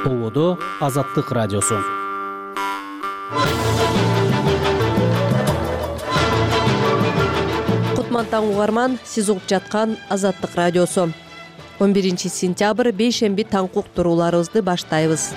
Болодо Азаттык радиосу. Кутман таң угарман, сиз угуп жаткан Азаттык радиосу. 11 сентябрь бейшемби таңкы уктурууларыбызды баштайбыз.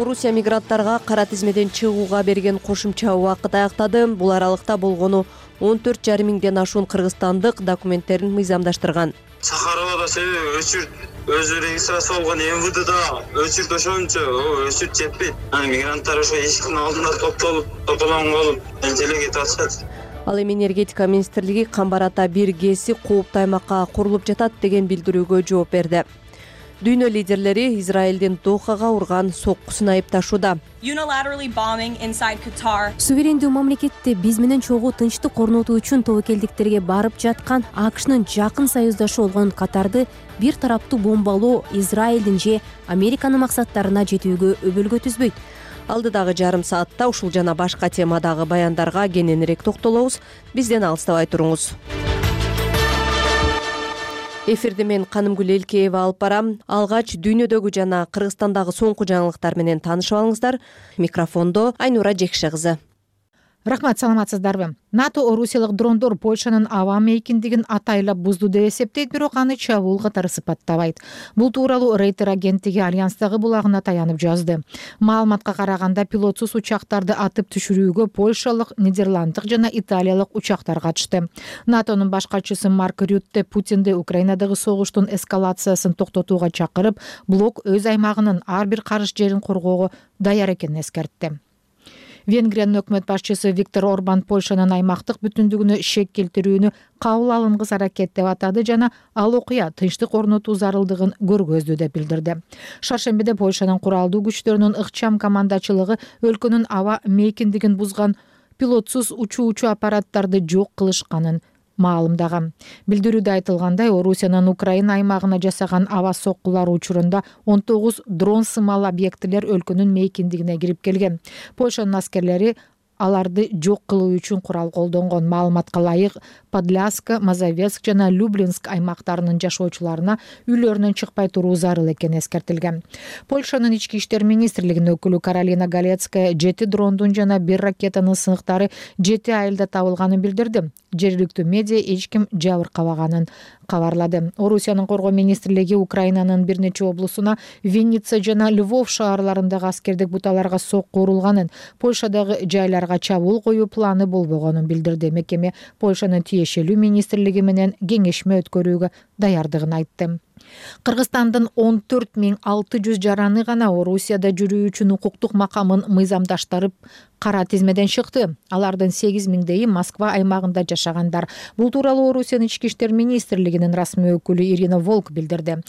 Орусия мигранттарга кара тизмеден чыгууга берген кошумча убакыт аяктады. Бул аралыкта болгону 14,5 миңден ашуун кыргызстандык документтерин мыйзамдаштырган. Сахаровада себеби өчүрт өзү регистрация болгон МВДда өчүрт ошончо өчүрт жетпейт. Мигранттар ошо эшиктин алдында топтолгон болуп эле кетип атышат. Ал эми энергетика министрлиги Камбар Ата 1 ГЭСи кооптуу аймакка курулуп жатат деген билдирүүгө жооп берди. Дүйнө лидерлери Израилдин Дохага урган соккусун айыпташууда. Суверендүү мамлекетте биз менен чогуу тынчтык орнотуу үчүн тобокелдиктерге барып жаткан АКШнын жакын союздашы болгон Катарды бир тараптуу бомбалоо Израилдин же Американын максаттарына жетүүгө өбөлгө түзбөйт. Алдыдагы жарым саатта ушул жана башка темадагы баяндарга кененирээк токтолобуз. Бизден алыстабай туруңуз. Эфирди мен Канымгүл Элкеева алып барам. Алгач дүйнөдөгү жана Кыргызстандагы соңку жаңылыктар менен таанышып алыңыздар. Микрофондо Айнура Жекше кызы. Рахмат, саламатсыздарбы? НАТО орусиялык дрондор Польшанын аба мейкиндигин атайлап бузду деп эсептейт, бирок аны чабуул катары сыпаттабайт. Бул тууралуу Рейтер агенттиги Альянстагы булагына таянып жазды. Маалыматка караганда пилотсуз учактарды атып түшүрүүгө польшалык, нидерланддык жана италиялык учактар катышты. НАТОнун башкарчысы Марк Рютте Путинди Украинадагы согуштун эскалациясын токтотууга чакырып, блок өз аймагынын ар бир карыш жерин коргоого даяр экенин эскертти. Венгриянын өкмөт башчысы Виктор Орбан Польшанын аймактык бүтүндүгүнө шек келтирүүнү кабыл алынгыс аракет деп атады жана ал окуя тынчтык орнотуу зарылдыгын көргөздү деп билдирди. Шаршембиде Польшанын куралдуу күчтөрүнүн ыкчам командачылыгы өлкөнүн аба мейкиндигин бузган пилотсуз учуучу аппараттарды жок кылышканын маалымдаган. Билдирүүдө айтылгандай, Орусиянын Украина аймагына жасаган аба соккулары учурунда 19 дрон сымал объектилер өлкөнүн мейкиндигине кирип келген. Польшанын аскерлери аларды жок кылуу үчүн курал колдонгон. Маалыматка ылайык, Подляска, Мазовецк жана Люблинск аймактарынын жашоочуларына үйлөрүнөн чыкпай туруу зарыл экени эскертилген. Польшанын ички иштер министрлигинин өкүлү Каролина Галецкая 7 дрондун жана 1 ракетанын сыныктары 7 айылда табылганын билдирди. Жергиликтүү медиа эч ким жабыр кабаганын кабарлады. Орусиянын коргоо министрлиги Украинанын бир нече облусуна, Винница жана Львов шаарларындагы аскердик буталарга сокку урулганын, Польшадагы жайларга чабуул коюу планы болбогонун билдирди. Мекеме Польшанын тиешелүү министрлиги менен кеңешме өткөрүүгө даярдыгын айтты. Кыргызстандын 14,600 жараны гана Орусияда жүрүү үчүн укуктук макамын мыйзамдаштырып кара тизмеден чыкты. Алардын 8,000 Москва аймагында жашагандар. Бул тууралуу Орусиянын ички иштер министрлигинин расмий өкүлү Ирина Волк билдирди.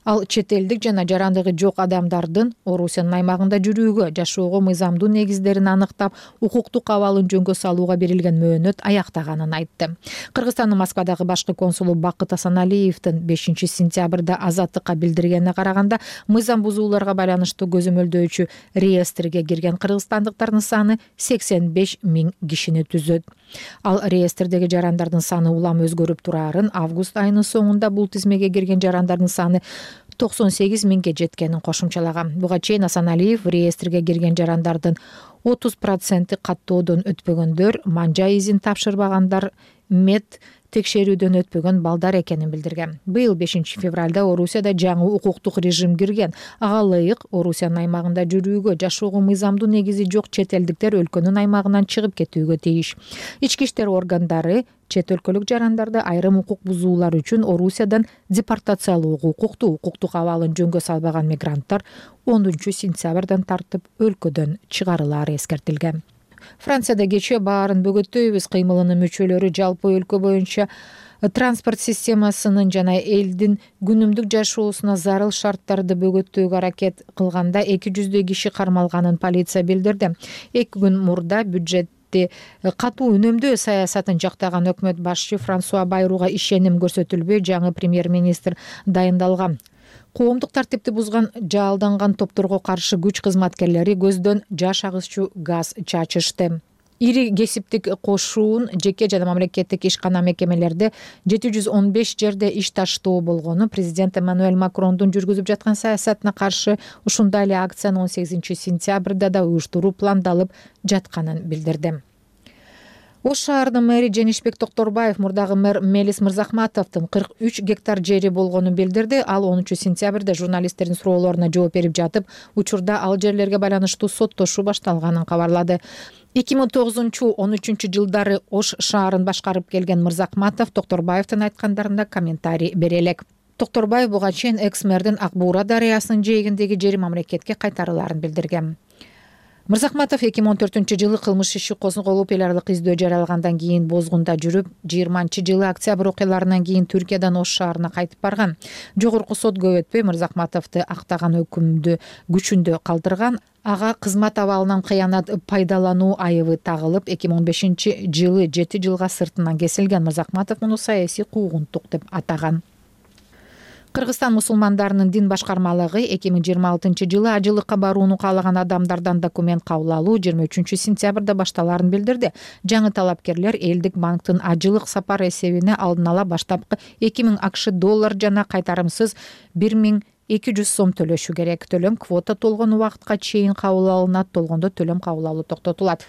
Ал чет элдик жана жарандыгы жок адамдардын Орусиянын аймагында жүрүүгө, жашоого мыйзамдуу негиздерин аныктап, укуктук абалын жөнгө салууга берилген мөөнөт аяктаганын айтты. Кыргызстандын Москвадагы башкы консулу Бакыт Асаналиевдин 5 сентябрда Азаттыкка билдиргенине караганда, мыйзам бузууларга байланыштуу көзөмөлдөөчү реестрге кирген кыргызстандыктардын саны 85 миң кишини түзөт. Ал реестрдеги жарандардын саны улам өзгөрүп турарын, август айынын соңунда бул тизмеге кирген жарандардын саны 98 миңге жеткенин кошумчалаган. Буга чейин Асаналиев реестрге кирген жарандардын 30% каттоодон өтпөгөндөр, манжа изин тапшырбагандар, мед текшерүүдөн өтпөгөн балдар экенин билдирген. Быйыл 5 февралда Орусияда жаңы укуктук режим кирген. Ага ылайык Орусиянын аймагында жүрүүгө, жашоого мыйзамдуу негизи жок чет элдиктер өлкөнүн аймагынан чыгып кетүүгө тийиш. Ички иштер органдары чет өлкөлүк жарандарды айрым укук бузуулар үчүн Орусиядан депортациялоого укуктуу. Укуктук абалын жөнгө салбаган мигранттар 10 сентябрдан тартып өлкөдөн чыгарылары эскертилген. Францияда кечээ баарын бөгөттөйбүз кыймылынын мүчөлөрү жалпы өлкө боюнча транспорт системасынын жана элдин күнүмдүк жашоосуна зарыл шарттарды бөгөттөөгө аракет кылганда 200 киши кармалганын полиция билдирди. 2 күн мурда бюджетти катуу үнөмдөө саясатын жактаган өкмөт башчы Франсуа Байруга ишеним көрсөтүлбөй жаңы премьер-министр дайындалган. Коомдук тартипти бузган жалданган топторго каршы күч кызматкерлери көздөн жаш агызчу газ чачышты. ири кесиптик кошуун жеке жана мамлекеттик ишкана мекемелерде 715 жерде иш таштоо болгону президент Эммануэль Макрондун жүргүзүп жаткан саясатына каршы ушундай эле акцияны 18 сентябрда да уюштуруу пландалып жатканын билдирди. Ош шаарынын мэри Женишбек Токторбаев мурдагы мэр Мелис Мырзахматовдун 43 гектар жери болгонун билдирди. Ал 10 сентябрда журналисттердин суроолоруна жооп берип жатып, учурда ал жерлерге байланыштуу соттошуу башталганын кабарлады. 2009-13 жылдары Ош шаарын башкарып келген Мырзахматов Токторбаевдин айткандарында комментарий бере элек. Токторбаев буга чейин экс-мэрдин Ак Буура дарыясынын жээгиндеги жери мамлекетке кайтарыларын билдирген. Мырзахматов 2014-жылы кылмыш иши козголуп эл аралык издөө жарыялагандан кийин бозгунда жүрүп, 20-жылы октябрь окуяларынан кийин Түркиядан Ош шаарына кайтып барган. Жогорку сот көп өтпөй Мырзахматовду актаган өкүмдү күчүндө калтырган. Ага кызмат абалынан кыянат пайдалануу айыбы тагылып, 2015-жылы 7 жылга сыртынан кесилген. Мырзахматов муну саясий куугунтук деп атаган. Кыргызстан мусулмандарынын дин башкармалыгы 2026-жылы ажылыкка барууну каалаган адамдардан документ кабыл алуу 23 сентябрда башталарын билдирди. Жаңы талапкерлер элдик банктын ажылык сапар эсебине алдын ала баштапкы 2000 АКШ доллар жана кайтарымсыз 1200 сом төлөшү керек. Төлөм квота толгон убакытка чейин кабыл алынат, толгондо төлөм кабыл алуу токтотулат.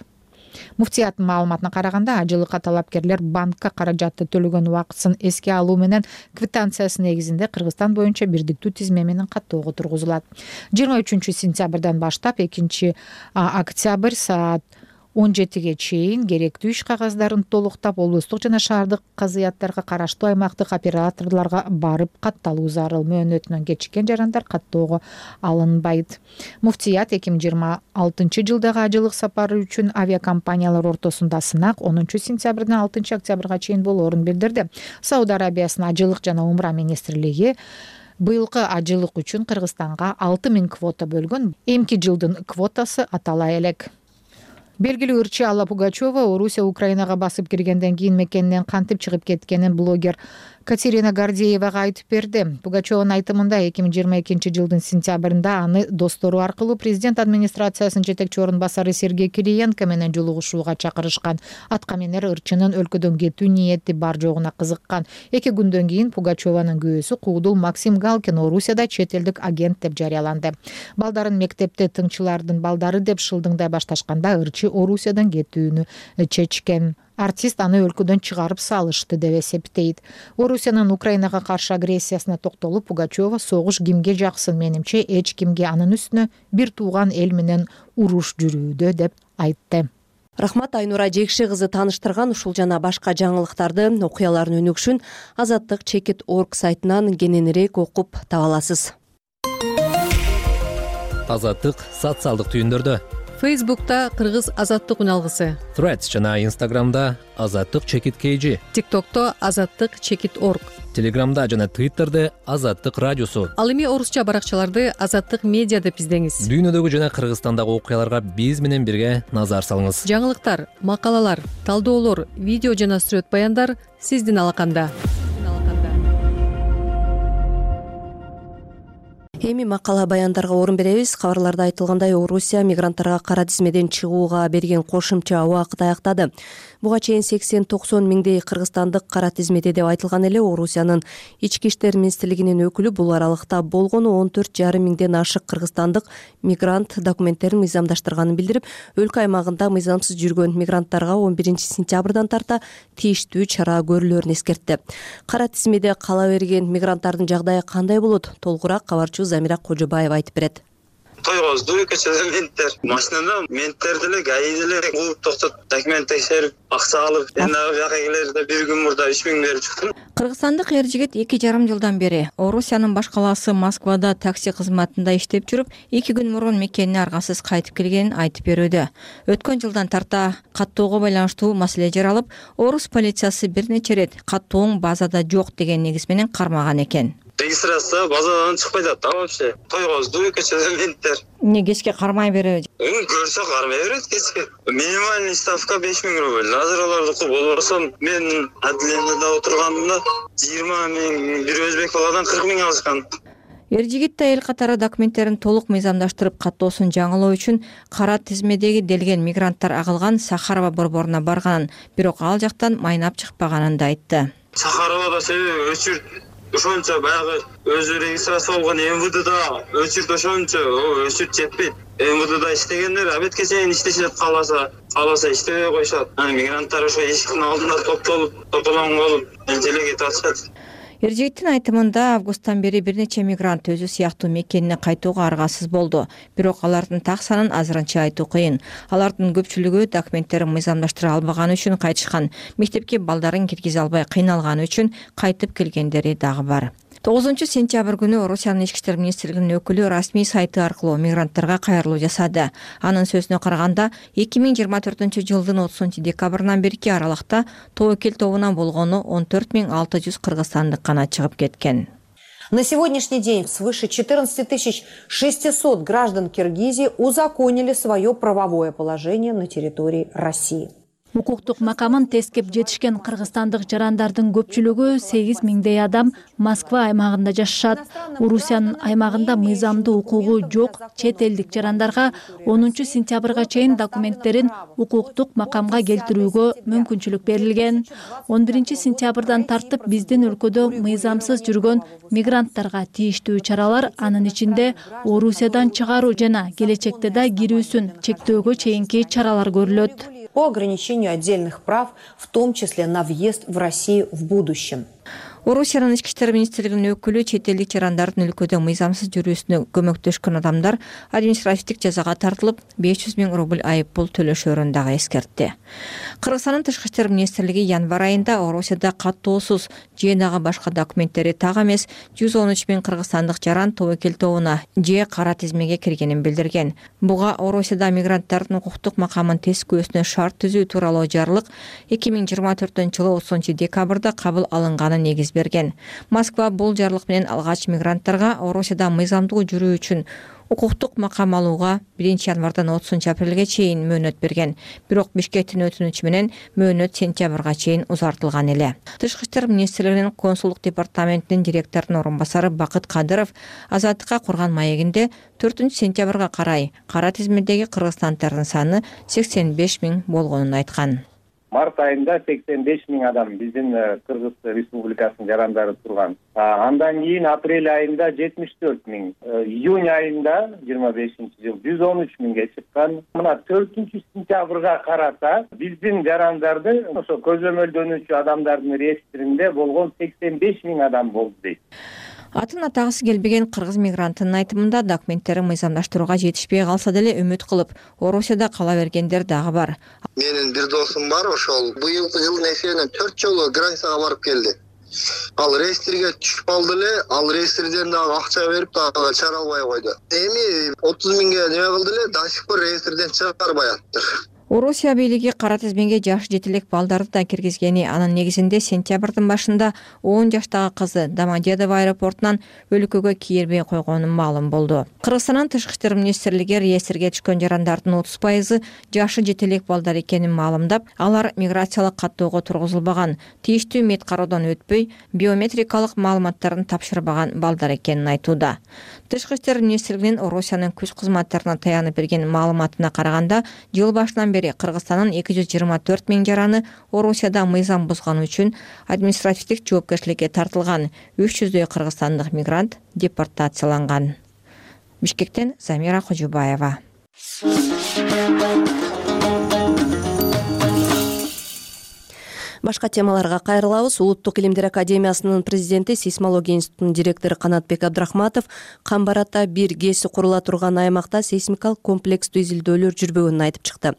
Муфтияттын маалыматына караганда, ажылыкка талапкерлер банкка каражатты төлөгөн убакытын эске алуу менен квитанциясы негизинде Кыргызстан боюнча бирдиктүү тизме менен каттоого тургузулат. 23 сентябрдан баштап 2 октябрь саат 17ге чейин керектүү иш кагаздарын толуктап, облустук жана шаардык казыяттарга караштуу аймактык операторлорго барып катталуу зарыл. Мөөнөтүнөн кечиккен жарандар каттоого алынбайт. Муфтият 2026 жылдагы ажылык сапары үчүн авиакомпаниялар ортосунда сынак 10 сентябрдан 6 октябрга чейин болоорун билдирди. Сауд Арабиясынын ажылык жана умра министрлиги быйылкы ажылык үчүн Кыргызстанга 6000 квота бөлгөн. Эмки жылдын квотасы атала элек. Белгилүү ырчы Алла Пугачева Орусия Украинага басып киргенден кийин мекенинен кантип чыгып кеткенин блогер Катерина Гордеевага айтып берди. Пугачеванын айтымында 2022 жылдын сентябрында аны достору аркылуу президент администрациясынын жетекчи орун басары Сергей Кириенко менен жолугушууга чакырышкан. Аткаминер ырчынын өлкөдөн кетүү ниети бар жогуна кызыккан. 2 күндөн кийин Пугачеванын күйөөсү Куудул Максим Галкин Орусияда чет элдик агент деп жарыяланды. Балдарын мектепте тыңчылардын балдары деп шылдыңдай башташканда ырчы Орусиядан кетүүнү чечкен. Артист аны өлкөдөн чыгарып салышты деп эсептейт. Орусиянын Украинага каршы агрессиясына токтолуп, Пугачева согуш кимге жаксын, менимче эч кимге анын үстүнө бир тууган эл менен уруш жүрүүдө деп айтты. Рахмат, Айнура Жекши кызы тааныштырган ушул жана башка жаңылыктарды, окуялардын өнүгүшүн Азаттык.org сайтынан кененирээк окуп таба аласыз. Азаттык социалдык түйүндөрдө. Фейсбукта Кыргыз Азаттык үн алгысы, Threads жана Instagramда Азаттык_KG, ТикТокто Азаттык_org, Телеграмда жана Twitterде Азаттык радиосу. Ал эми орусча баракчаларды Азаттык медиа деп издеңиз. Дүйнөдөгү жана Кыргызстандагы окуяларга биз менен бирге назар салыңыз. Жаңылыктар, макалалар, талдоолор, видео жана сүрөт баяндар сиздин алаканда. Эми макала баяндарга орун беребиз. Кабарларда айтылгандай, Орусия мигранттарга кара тизмеден чыгууга берген кошумча убакыт аяктады. Буга чейин 80-90 миңдей кыргызстандык кара тизмеде деп айтылган эле. Орусиянын ички иштер министрлигинин өкүлү бул аралыкта болгону 14,5 миңден ашык кыргызстандык мигрант документтерин мыйзамдаштырганын билдирип, өлкө аймагында мыйзамсыз жүргөн мигранттарга 11 сентябрдан тарта тийиштүү чара көрүлөөрүн эскертти. Кара тизмеде кала берген мигранттардын жагдайы кандай болот? Толугураак кабарчыбыз Замира Кожобаева айтып берет. Тойгоздуу көчөдө менттер. Машинада менттер деле, ГАИ деле кууп токтоп, документ текшерип, акча алып, эми бияка келерде бир күн мурда 3000 берип чыктым. Кыргызстандык эр жигит 2,5 жылдан бери Орусиянын баш калаасы Москвада такси кызматында иштеп жүрүп, 2 күн мурун мекенине аргасыз кайтып келгенин айтып берүүдө. Өткөн жылдан тарта каттоого байланыштуу маселе жаралып, Орус полициясы бир нече рет каттооң базада жок деген негиз менен кармаган экен. Регистрация базадан чыкпай жатты вообще. Тойгоздуу көчөдө менттер. Эмне кечке кармай береби? Көрсө кармай берет кечке. Минимальный ставка 5000 рубль. Азыр алардыкы болбосо мен отделениеде отургандымда 20 миң, бир өзбек баладан 40 миң алышкан. Эр жигит айыл катары документтерин толук мыйзамдаштырып каттоосун жаңылоо үчүн кара тизмедеги делген мигранттар агылган Сахарова борборуна барганын, бирок ал жактан майнап чыкпаганын да айтты. Сахаровада себеби өчүрт ошончо баягы өзү регистрация болгон МВДда өчүрт ошончо өчүрт жетпейт. МВДда иштегендер абетке чейин иштешет, кааласа иштебей коюшат. Мигранттар ошо эшиктин алдында тополоң болуп эле кетип атышат. Эр жигиттин айтымында августтан бери бир нече мигрант өзү сыяктуу мекенине кайтууга аргасыз болду. Бирок алардын так санын азырынча айтуу кыйын. Алардын көпчүлүгү документтерин мыйзамдаштыра албаганы үчүн кайтышкан, мектепке балдарын киргизе албай кыйналганы үчүн кайтып келгендери дагы бар. 9-сентябрь күнү Орусиянын ички иштер министрлигинин өкүлү расмий сайты аркылуу мигранттарга кайрылуу жасады. Анын сөзүнө караганда, 2024-жылдын 30-декабрынан берки аралыкта тобокел тобуна болгону 14600 кыргызстандык гана чыгып кеткен. На сегодняшний день свыше 14 600 граждан Киргизии узаконили свое правовое положение на территории России. Укуктук макамын тескеп жетишкен кыргызстандык жарандардын көпчүлүгү 8000 адам Москва аймагында жашашат. Орусиянын аймагында мыйзамдуу укугу жок чет элдик жарандарга 10-сентябрга чейин документтерин укуктук макамга келтирүүгө мүмкүнчүлүк берилген. 11-сентябрдан тартып биздин өлкөдө мыйзамсыз жүргөн мигранттарга тийиштүү чаралар, анын ичинде Орусиядан чыгаруу жана келечекте да кирүүсүн чектөөгө чейинки чаралар көрүлөт. По ограничению отдельных прав, в том числе на въезд в Россию в будущем. Орусиянын ички иштер министрлигинин өкүлү чет элдик жарандардын өлкөдө мыйзамсыз жүрүүсүнө көмөктөшкөн адамдар административдик жазага тартылып 500 000 рубль айып пул төлөшөөрүн дагы эскертти. Кыргызстандын тышкы иштер министрлиги январь айында Орусияда каттоосуз же дагы башка документтери так эмес 113 000 кыргызстандык жаран тобокел тобуна же кара тизмеге киргенин билдирген. Буга Орусияда мигранттардын укуктук макамын тескөөсүнө шарт түзүү тууралуу жарлык 2024-жылы 30-декабрда кабыл алынганын негиз берген. Москва бул жарлык менен алгач мигранттарга Орусияда мыйзамдуу жүрүү үчүн укуктук макам алууга 1-январдан 30-апрелге чейин мөөнөт берген. Бирок Бишкектин өтүнүчү менен мөөнөт сентябрга чейин узартылган эле. Тышкы иштер министрлигинин консулдук департаментинин директорунун орун басары Бакыт Кадыров Азаттыкка курган маегинде 4-сентябрга карай кара тизмедеги кыргызстандардын саны 85 000 болгонун айткан. Март айында 85 000 адам биздин Кыргыз Республикасынын жарандары турган. Андан кийин апрель айында 74 000, июнь айында 25-жыл 113 000ге чыккан. Мына 4-сентябрга карата биздин жарандарды ошо көзөмөлдөнүүчү адамдардын реестринде болгон 85 000 адам болду дейт. Атын атагысы келбеген кыргыз мигранттын айтымында документтерин мыйзамдаштырууга жетишпей калса деле үмүт кылып, Орусияда кала бергендер дагы бар. Менин бир досум бар, ошол быйылкы жылдын эсебинен 4 жолу границага барып келди. Ал реестрге түшүп калды эле, ал реестрден дагы акча берип дагы чыгара албай койду. Эми 30 000ге неме кылды эле, до сих пор реестрден чыгарбай атыптыр. Орусия бийлиги кара тизмеге жаш жетелек балдарды да киргизгени, анын негизинде сентябрдын башында 10 жаштагы кызы Домодедово аэропортунан өлкөгө кирбей койгонун маалым болду. Кыргызстандын тышкы иштер министрлиги реестрге түшкөн жарандардын 30% жашы жетелек балдар экенин маалымдап, алар миграциялык каттоого тургузулбаган, тийиштүү мед кароодон өтпөй, биометрикалык маалыматтарын тапшырбаган балдар экенин айтууда. Тышкы иштер министрлигинин Орусиянын күч кызматтарына таянып берген маалыматына караганда, жыл башынан бери Кыргызстандын 224 000 жараны Орусияда мыйзам бузганы үчүн административдик жоопкерчиликке тартылган. 300дөй кыргызстандык мигрант депортацияланган. Бишкектен Замира Кожубаева. Башка темаларга кайрылабыз. Улуттук илимдер академиясынын президенти, сейсмология институтунун директору Канатбек Абдрахматов Камбарата 1 ГЭСи курула турган аймакта сейсмикалык комплекстүү изилдөөлөр жүрбөгөнүн айтып чыкты.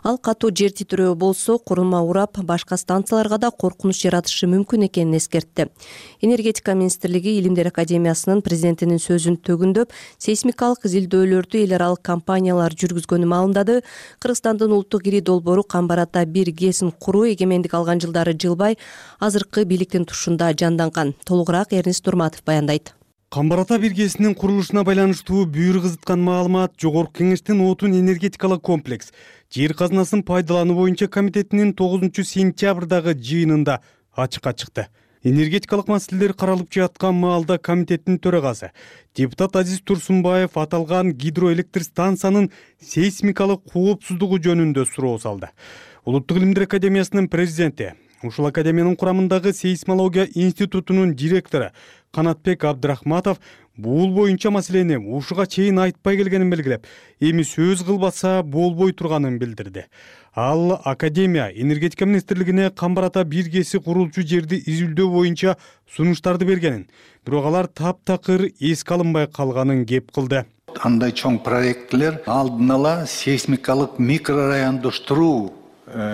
Ал катуу жер титирөө болсо, курулма урап, башка станцияларга да коркунуч жаратышы мүмкүн экенин эскертти. Энергетика министрлиги илимдер академиясынын президентинин сөзүн төгүндөп, сейсмикалык изилдөөлөрдү эл аралык компаниялар жүргүзгөнүн маалымдады. Кыргызстандын улуттук ири долбоору Камбарата 1 ГЭСин куруу эгемендик алган жылдары жылбай азыркы бийликтин тушунда жанданган. Толугураак Эрнис Турматов баяндайт. Камбарата 1 ГЭСинин курулушуна байланыштуу бүйүр кызыткан маалымат Жогорку Кеңештин отун энергетикалык комплекс жер казынасын пайдалануу боюнча комитетинин 9-сентябрдагы жыйынында ачыкка чыкты. Энергетикалык маселелер каралып жаткан маалда комитеттин төрагасы депутат Азиз Турсунбаев аталган гидроэлектр станциянын сейсмикалык коопсуздугу жөнүндө суроо салды. Улуттук илимдер академиясынын президенти, ушул академиянын курамындагы сейсмология институтунун директору Канатбек Абдрахматов бул боюнча маселени ушуга чейин айтпай келгенин белгилеп, эми сөз кылбаса болбой турганын билдирди. Ал академия энергетика министрлигине Камбар-Ата 1 ГЭСи курулчу жерди изилдөө боюнча сунуштарды бергенин, бирок алар таптакыр эске алынбай калганын кеп кылды. Андай чоң проектлер алдын ала сейсмикалык микрорайондоштуруу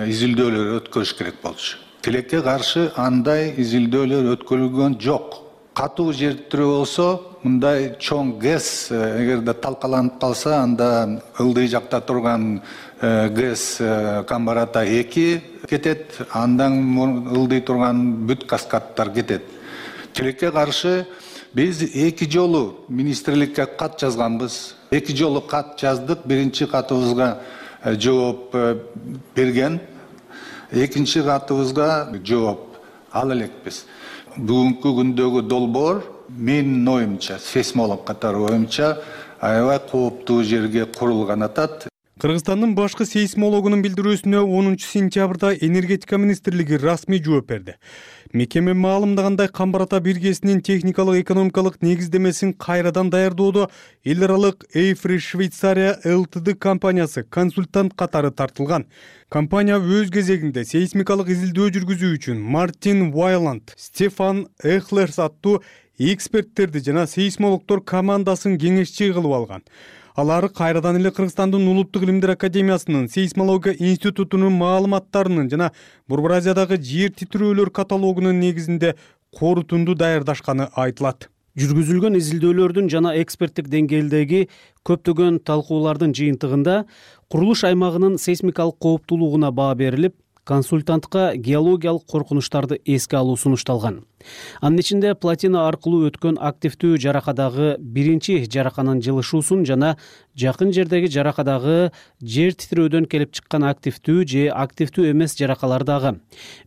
изилдөөлөрү өткөрүш керек болчу. Тилекке каршы андай изилдөөлөр өткөрүлгөн жок. Катуу жер түрү болсо, мындай чоң ГЭС эгерде талкаланып калса, анда ылдый жакта турган ГЭС Камбар-Ата 2 кетет, андан ылдый турган бүт каскадтар кетет. Тилекке каршы биз 2 жолу министрликке кат жазганбыз. 2 жолу кат жаздык. Биринчи катыбызга жооп берген, экинчи катыбызга жооп ала элекпиз. Бүгүнкү күндөгү долбоор менин оюмча, сейсмолог катары оюмча, аябай кооптуу жерге курулган атат. Кыргызстандын башкы сейсмологунун билдирүүсүнө 10 сентябрда энергетика министрлиги расмий жооп берди. Мекеме маалымдагандай, Камбар-Ата 1 ГЭСинин техникалык экономикалык негиздемесин кайрадан даярдоодо эл аралык Эйфри Швейцария ЛТД компаниясы консультант катары тартылган. Компания өз кезегинде сейсмикалык изилдөө жүргүзүү үчүн Мартин Вайланд, Стефан Эхлерс аттуу эксперттерди жана сейсмологдор командасын кеңешчи кылып алган. Алар кайрадан эле Кыргызстандын Улуттук илимдер академиясынын сейсмология институтунун маалыматтарынын жана Борбор Азиядагы жер титирөөлөр каталогунун негизинде корутунду даярдашканы айтылат. Жүргүзүлгөн изилдөөлөрдүн жана эксперттик деңгээлдеги көптөгөн талкуулардын жыйынтыгында курулуш аймагынын сейсмикалык кооптуулугуна баа берилип, консультантка геологиялык коркунучтарды эске алуу сунушталган. Анын ичинде платина аркылуу өткөн активдүү жаракадагы биринчи жараканын жылышуусун жана жакын жердеги жаракадагы жер титирөөдөн келип чыккан активдүү же активдүү эмес жаракалар дагы,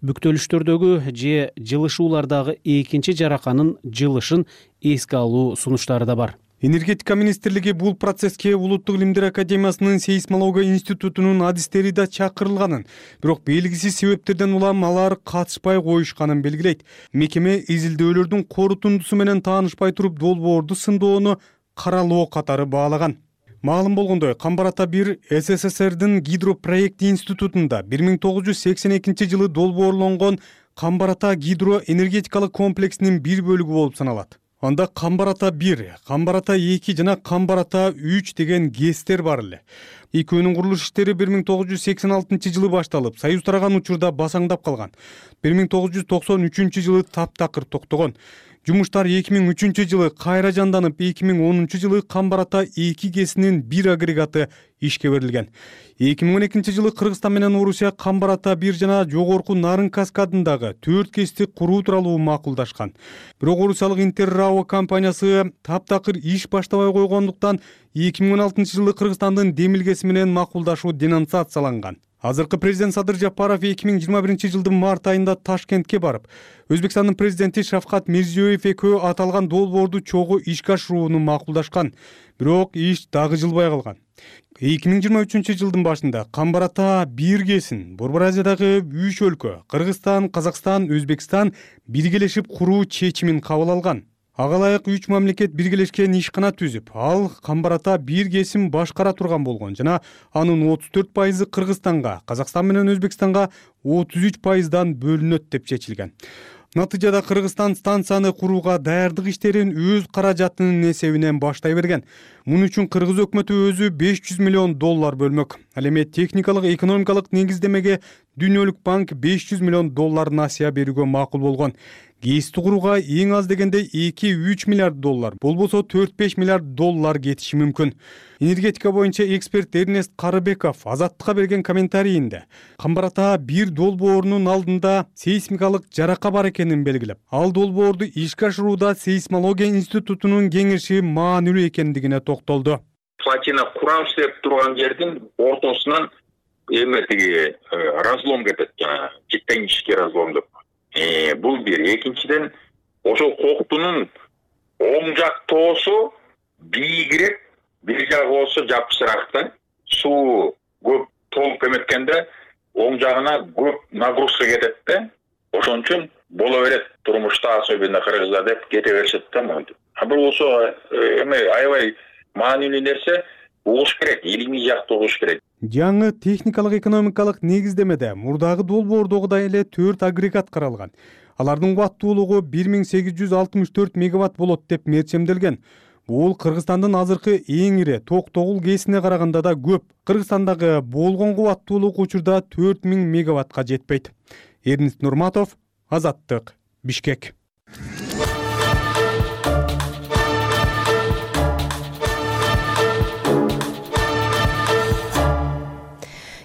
бүктөлүштөрдөгү же жылышуулардагы экинчи жараканын жылышын эске алуу сунуштары да бар. Энергетика министрлиги бул процесске Улуттук илимдер академиясынын сейсмология институтунун адистери да чакырылганын, бирок белгисиз себептерден улам алар катышпай коюшканын белгилейт. Мекеме изилдөөлөрдүн корутундусу менен таанышпай туруп долбоорду сындоону каралоо катары баалаган. Маалым болгондой, Камбар-Ата 1 СССРдин гидропроект институтунда 1982 жылы долбоорлонгон Камбар-Ата гидроэнергетикалык комплексинин бир бөлүгү болуп саналат. Анда Камбар-Ата 1, Камбар-Ата 2 жана Камбар-Ата 3 деген ГЭСтер бар эле. Экөөнүн курулуш иштери 1986 жылы башталып, Союз тараган учурда басаңдап калган. 1993 жылы таптакыр токтогон. Жумуштар 2003 жылы кайра жанданып, 2010 жылы Камбар-Ата 2 ГЭСинин бир агрегаты ишке берилген. 2012 жылы Кыргызстан менен Орусия Камбар-Ата 1 жана жогорку Нарын каскадындагы 4 ГЭСти куруу тууралуу макулдашкан. Бирок орусиялык Интеррао компаниясы таптакыр иш баштабай койгондуктан 2016 жылы Кыргызстандын Демилгеси менен макулдашуу денонсацияланган. Азыркы президент Садыр Жапаров 2021 жылдын март айында Ташкентке барып, Өзбекстандын президенти Шавкат Мирзиёев экөө аталган долбоорду чогуу ишке ашырууну макулдашкан. Бирок иш дагы жылбай калган. 2023 жылдын башында Камбар-Ата 1 ГЭСин Борбор Азиядагы 3 өлкө Кыргызстан, Казакстан, Өзбекстан биргелешип куруу чечимин кабыл алган. Ага ылайык 3 мамлекет биргелешкен ишкана түзүп, ал Камбар-Ата 1 ГЭСин башкара турган болгон жана анын 34% Кыргызстанга, Казакстан менен Өзбекстанга 33%дан бөлүнөт деп чечилген. Натыйжада Кыргызстан станцияны курууга даярдык иштерин өз каражатынын эсебинен баштай берген. Муну үчүн Кыргыз өкмөтү өзү $500 миллион бөлмөк. Ал эми техникалык экономикалык негиздемеге Дүйнөлүк банк $500 миллион насыя берүүгө макул болгон. ГЭСти курууга эң аз дегенде $2-3 миллиард, болбосо $4-5 миллиард кетиши мүмкүн. Энергетика боюнча эксперт Эрнест Карыбеков Азаттыкка берген комментарийинде Камбар-Ата 1 долбоорунун алдында сейсмикалык жарака бар экенин белгилеп, ал долбоорду ишке ашырууда сейсмология институтунун кеңеши маанилүү экендигине токтолду. Платина курам иштеп турган жердин ортосунан эме тиги разлом кетет, жана тектонический разлом деп. Бул бир. Экинчиден, ошол коктунун оң жак тоосу бийигирээк, бир жагы болсо жапышыраак да. Суу көп толуп эметкенде оң жагына көп нагрузка кетет да. Ошон үчүн боло берет турмушта, особенно кыргызда деп кете беришет да монтип. Бул болсо аябай маанилүү нерсе, угуш керек, илимий жакты угуш керек. Жаңы техникалык экономикалык негиздемеде мурдагы долбоордогудай эле 4 агрегат каралган. Алардын кубаттуулугу 1864 мегаватт болот деп мерчемделген. Бул Кыргызстандын азыркы эң ири ток тогул КЭСине караганда да көп. Кыргызстандагы болгон кубаттуулук учурда 4000 мегаваттка жетпейт. Эрнест Нурматов, Азаттык, Бишкек.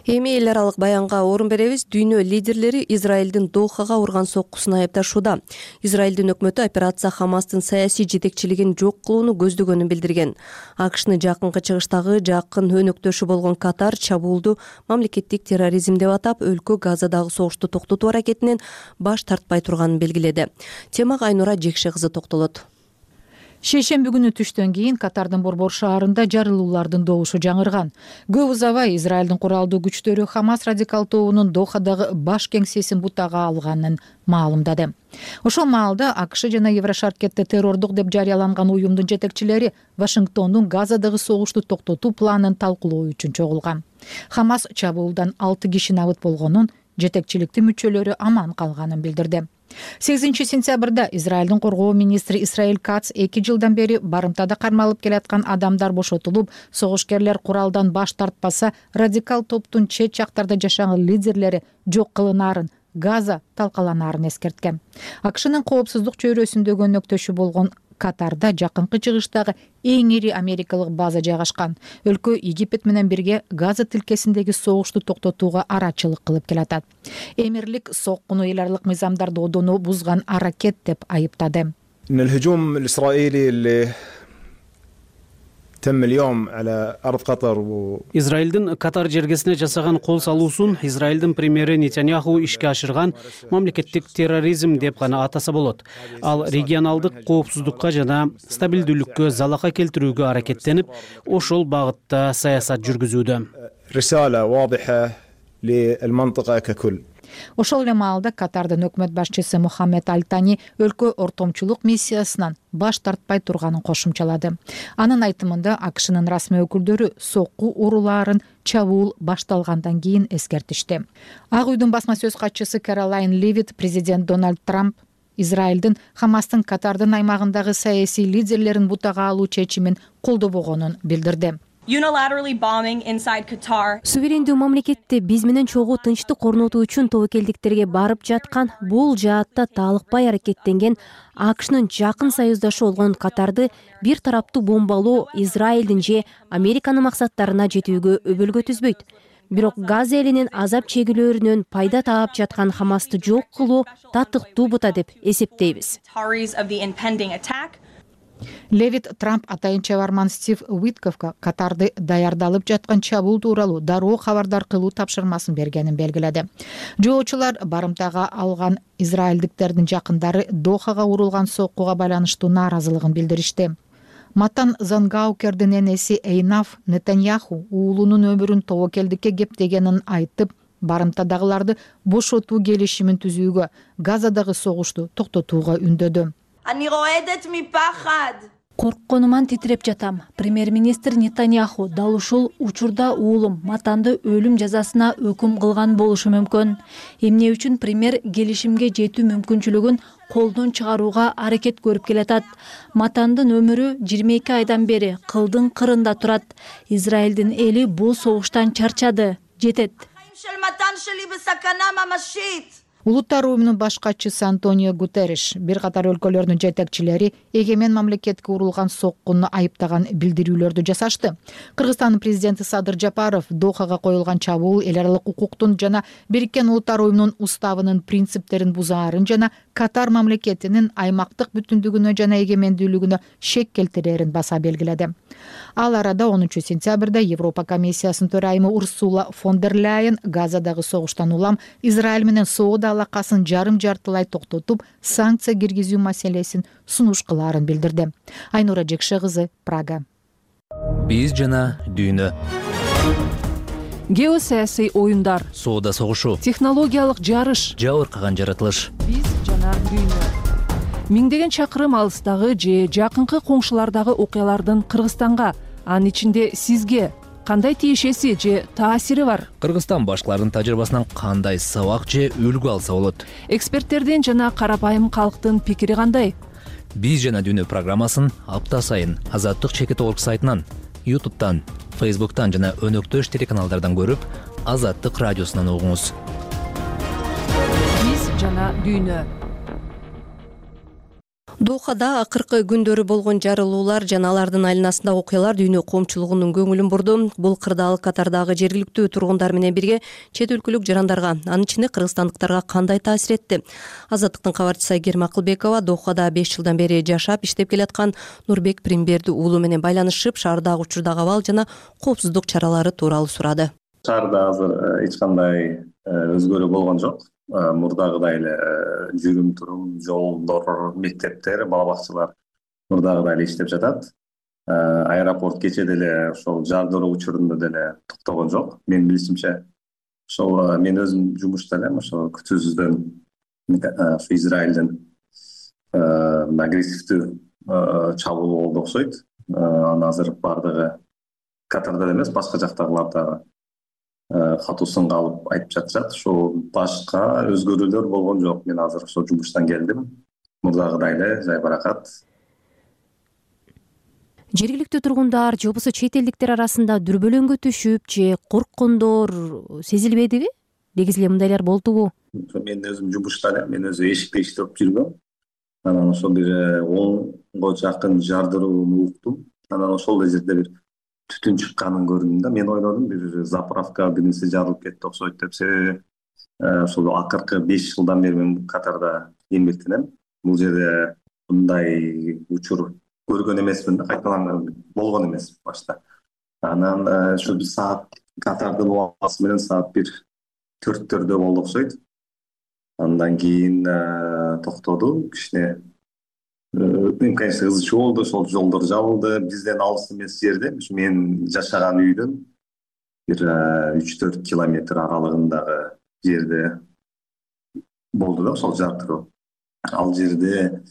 Эми эл аралык баянга орун беребиз. Дүйнө лидерлери Израилдин Дохага урган соккусун айыпташууда. Израилдин өкмөтү операция Хамастын саясий жетекчилигин жок кылууну көздөгөнүн билдирген. АКШны жакынкы чыгыштагы жакын өнөктөшү болгон Катар чабуулду мамлекеттик терроризм деп атап, өлкө Газадагы согушту токтотуу аракетинен баш тартпай турганын белгиледи. Темага Айнура Жекше кызы токтолот. Шейшемби күнү түштөн кийин Катардын Борбор шаарында жарылуулардын добушу жаңырган. Көп узабай Израилдин куралдуу күчтөрү Хамас радикал тобунун Дохадагы баш кеңсесин бутага алганын маалымдады. Ошол маалда АКШ жана Еврошаркетте террордук деп жарыяланган уюмдун жетекчилери Вашингтондун Газадагы согушту токтотуу планын талкуулоо үчүн чогулган. Хамас чабуулдан 6 киши набыт болгонун, жетекчиликтин мүчөлөрү аман калганын билдирди. 8-сентябрда Израилдин коргоо министри Исраиль Кац 2 жылдан бери барымтада кармалып келаткан адамдар бошотулуп, согушкерлер куралдан баш тартпаса, радикал топтун чет жактарда жашаган лидерлери жок кылынаарын, Газа талкаланаарын эскерткен. АКШнын коопсуздук чөйрөсүндөгү өнөктөшү болгон Катарда жакынкы чыгыштагы эң ири америкалык база жайгашкан. Өлкө Египет менен бирге Газа тилкесиндеги согушту токтотууга арачылык кылып келатат. Эмирлик соккуну эл аралык мыйзамдарды одону бузган аракет деп айыптады. الهجوم الإسرائيلي اللي تم اليوم على أرض قطر Израилдин Катар жергесине жасаган кол салуусун Израилдин премьери Нетаньяху ишке ашырган мамлекеттик терроризм деп гана атаса болот. Ал регионалдык коопсуздукка жана стабилдүүлүккө залака келтирүүгө аракеттенип, ошол багытта саясат жүргүзүүдө. رسالة واضحة للمنطقة ككل. Ошол эле маалда Катардын өкмөт башчысы Мухаммед Аль-Тани өлкө ортомчулук миссиясынан баш тартпай турганын кошумчалады. Анын айтымында АКШнын расмий өкүлдөрү сокку уруулаарын чабуул башталгандан кийин эскертишти. Ак үйдүн басма сөз катчысы Каролайн Левит президент Дональд Трамп Израилдин Хамастын Катардын аймагындагы саясий лидерлерин бутага алуу чечимин колдобогонун билдирди. Суверендүү мамлекетте биз менен чогуу тынчтык орнотуу үчүн тобокелдиктерге барып жаткан, бул жаатта таалыкпай аракеттенген АКШнын жакын союздашы болгон Катарды бир тараптуу бомбалоо Израилдин же Американын максаттарына жетүүгө өбөлгө түзбөйт. Бирок Газа элинин азап чегүүлөрүнөн пайда таап жаткан Хамасты жок кылуу татыктуу бута деп эсептейбиз. Левит Трамп атайын чабарман Стив Уитковго Катарды даярдалып жаткан чабуул тууралуу дароо кабардар кылуу тапшырмасын бергенин белгиледи. Жоочулар барымтага алган израилдиктердин жакындары Дохага урулган соккуга байланыштуу нааразылыгын билдиришти. Матан Зангаукердин энеси Эйнаф Нетаньяху уулунун өмүрүн тобокелдикке кептегенин айтып, барымтадагыларды бошотуу келишимин түзүүгө, Газадагы согушту токтотууга үндөдү. Коркконуман титиреп жатам. Премьер-министр Нетаньяху дал ушул учурда уулум Матанды өлүм жазасына өкүм кылган болушу мүмкүн. Эмне үчүн премьер келишимге жетүү мүмкүнчүлүгүн колдон чыгарууга аракет көрүп келатат. Матандын өмүрү 22 айдан бери кылдын кырында турат. Израилдин эли бул согуштан чарчады. Жетет. Улуттар уюмунун баш катчысы Антонио Гутерриш бир катар өлкөлөрдүн жетекчилери эгемен мамлекетке урулган соккуну айыптаган билдирүүлөрдү жасашты. Кыргызстандын президенти Садыр Жапаров Дохага коюлган чабуул эл аралык укуктун жана Бириккен Улуттар уюмунун уставынын принциптерин бузаарын жана Катар мамлекетинин аймактык бүтүндүгүнө жана эгемендүүлүгүнө шек келтирерин баса белгиледи. Ал арада 10-сентябрда Европа комиссиясынын төрайымы Урсула фон дер Ляйен Газадагы согуштан улам Израиль менен соода алакасын жарым-жартылай токтотуп, санкция киргизүү маселесин сунуш кылаарын билдирди. Айнура Жекше кызы, Прага. Биз жана дүйнө. Геосаясий оюндар, Соода согушу, технологиялык жарыш, жабыркаган жаратылыш. Биз жана дүйнө. Миңдеген чакырым алыстагы же жакынкы коңшулардагы окуялардын Кыргызстанга, анын ичинде сизге кандай тиешеси же таасири бар? Кыргызстан башкалардын тажрыйбасынан кандай сабак же үлгү алса болот? Эксперттердин жана карапайым калктын пикири кандай? Биз жана дүйнө программасын апта сайын Азаттык чекит орг сайтынан, YouTube'тан, Facebook'тан жана өнөктөш телеканалдардан көрүп, Азаттык радиосунан угуңуз. Биз жана дүйнө. Дохада акыркы күндөрү болгон жарылуулар жана алардын айланасындагы окуялар дүйнө коомчулугунун көңүлүн бурду. Бул кырдаал Катардагы жергиликтүү тургундар менен бирге чет өлкөлүк жарандарга, анын ичинде кыргызстандыктарга кандай таасир этти? Азаттыктын кабарчысы Айгерим Акылбекова Дохада 5 жылдан бери жашап, иштеп келаткан Нурбек Примберди уулу менен байланышып, шаардагы учурдагы абал жана коопсуздук чаралары тууралуу сурады. Шаарда азыр эч кандай өзгөрүү болгон жок. Мурдагыдай эле жүрүм турум, жолдор, мектептер, бала бакчалар мурдагыдай эле иштеп жатат. Аэропорт кечээ деле ошол жардыруу учурунда деле токтогон жок. Менин билишимче, ошол мен өзүм жумушта элем, ошо күтүүсүздөн Израилдин агрессивдүү чабуул болду окшойт. Аны азыр бардыгы Катарда эмес, башка жактагыларда катуусунга алып айтып жатышат. Ошол башка өзгөрүүлөр болгон жок. Мен азыр ошо жумуштан келдим. Мурдагыдай эле жайбаракат. Жергиликтүү тургундар же болбосо чет элдиктер арасында дүрбөлөңгө түшүп же корккондор сезилбедиби? Негизи эле мындайлар болдубу? Мен өзүм жумушта элем, мен өзү эшикте иштеп жүргөм. Анан ошол бир 10го жакын жардырууну уктум. Анан ошол жерде бир түтүн чыкканын көрдүм да. Мен ойлодум бир заправка бир нерсе жарылып кетти окшойт деп. Себеби ошол акыркы 5 жылдан бери мен Катарда эмгектенем. Бул жерде мындай учур көргөн эмесмин да, кайталанган болгон эмес башта. Анан ошо бир саат Катардын убасы менен саат 1-4 болду окшойт. Андан кийин токтоду. Кичине конечно ызы чуу болду, ошол жолдор жабылды. Бизден алыс эмес жерде, мен жашаган үйдөн бир 3-4 километр аралыгындагы жерде болду да ошол жардыруу. Ал жерде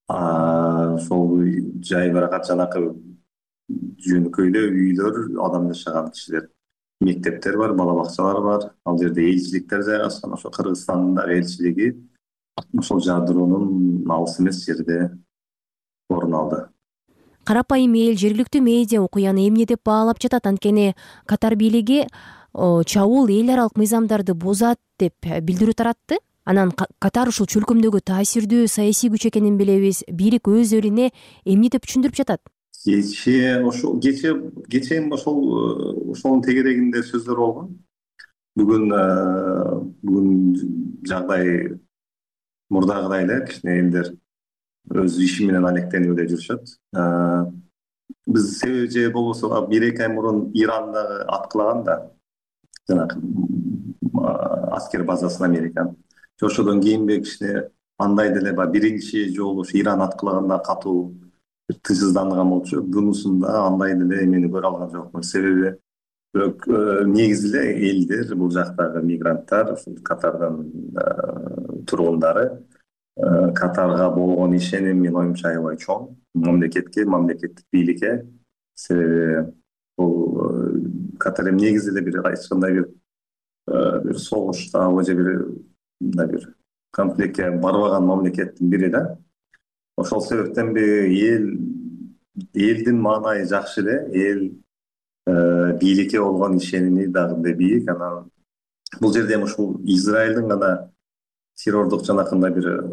ошол жайбаракат жанакы жөнөкөйлө үйлөр, адам жашаган кишилер, мектептер бар, бала бакчалар бар. Ал жерде элчиликтер жайгашкан. Ошо Кыргызстандагы элчилиги ошол жардыруунун алыс эмес жерде орун алды. Карапайым эл, жергиликтүү медиа окуяны эмне деп баалап жатат? Анткени Катар бийлиги чабуул эл аралык мыйзамдарды бузат деп билдирүү таратты. Анан Катар ушул чөлкөмдөгү таасирдүү саясий күч экенин билебиз. Бийлик өз элине эмне деп түшүндүрүп жатат? Кечээ ошонун тегерегинде сөздөр болгон. Бүгүн жагдай мурдагыдай эле, кичине элдер өз иши менен алектенип эле жүрүшөт. Биз себеби же болбосо 1-2 ай мурун Ирандагы аткылаган да, жанагы аскер базасын Американын. Ошодон кийинби кичине андай деле биринчи жолу Иран аткылаганда катуу тыйсызданган болчу. Бунусунда андай деле эмени көрө алган жокмун. Себеби негизи эле элдер, бул жактагы мигранттар, Катардын тургундары Катарга болгон ишеним менин оюмча аябай чоң. Мамлекеттик бийликке. Себеби бул Катар негизи эле бир эч кандай бир согушта же бир конфликтке барбаган мамлекеттин бири да. Ошол себептен элдин маанайы жакшы эле, эл бийликке болгон ишеними дагы бийик. Анан бул жерде ушул Израилдин гана террордук жанакындай бир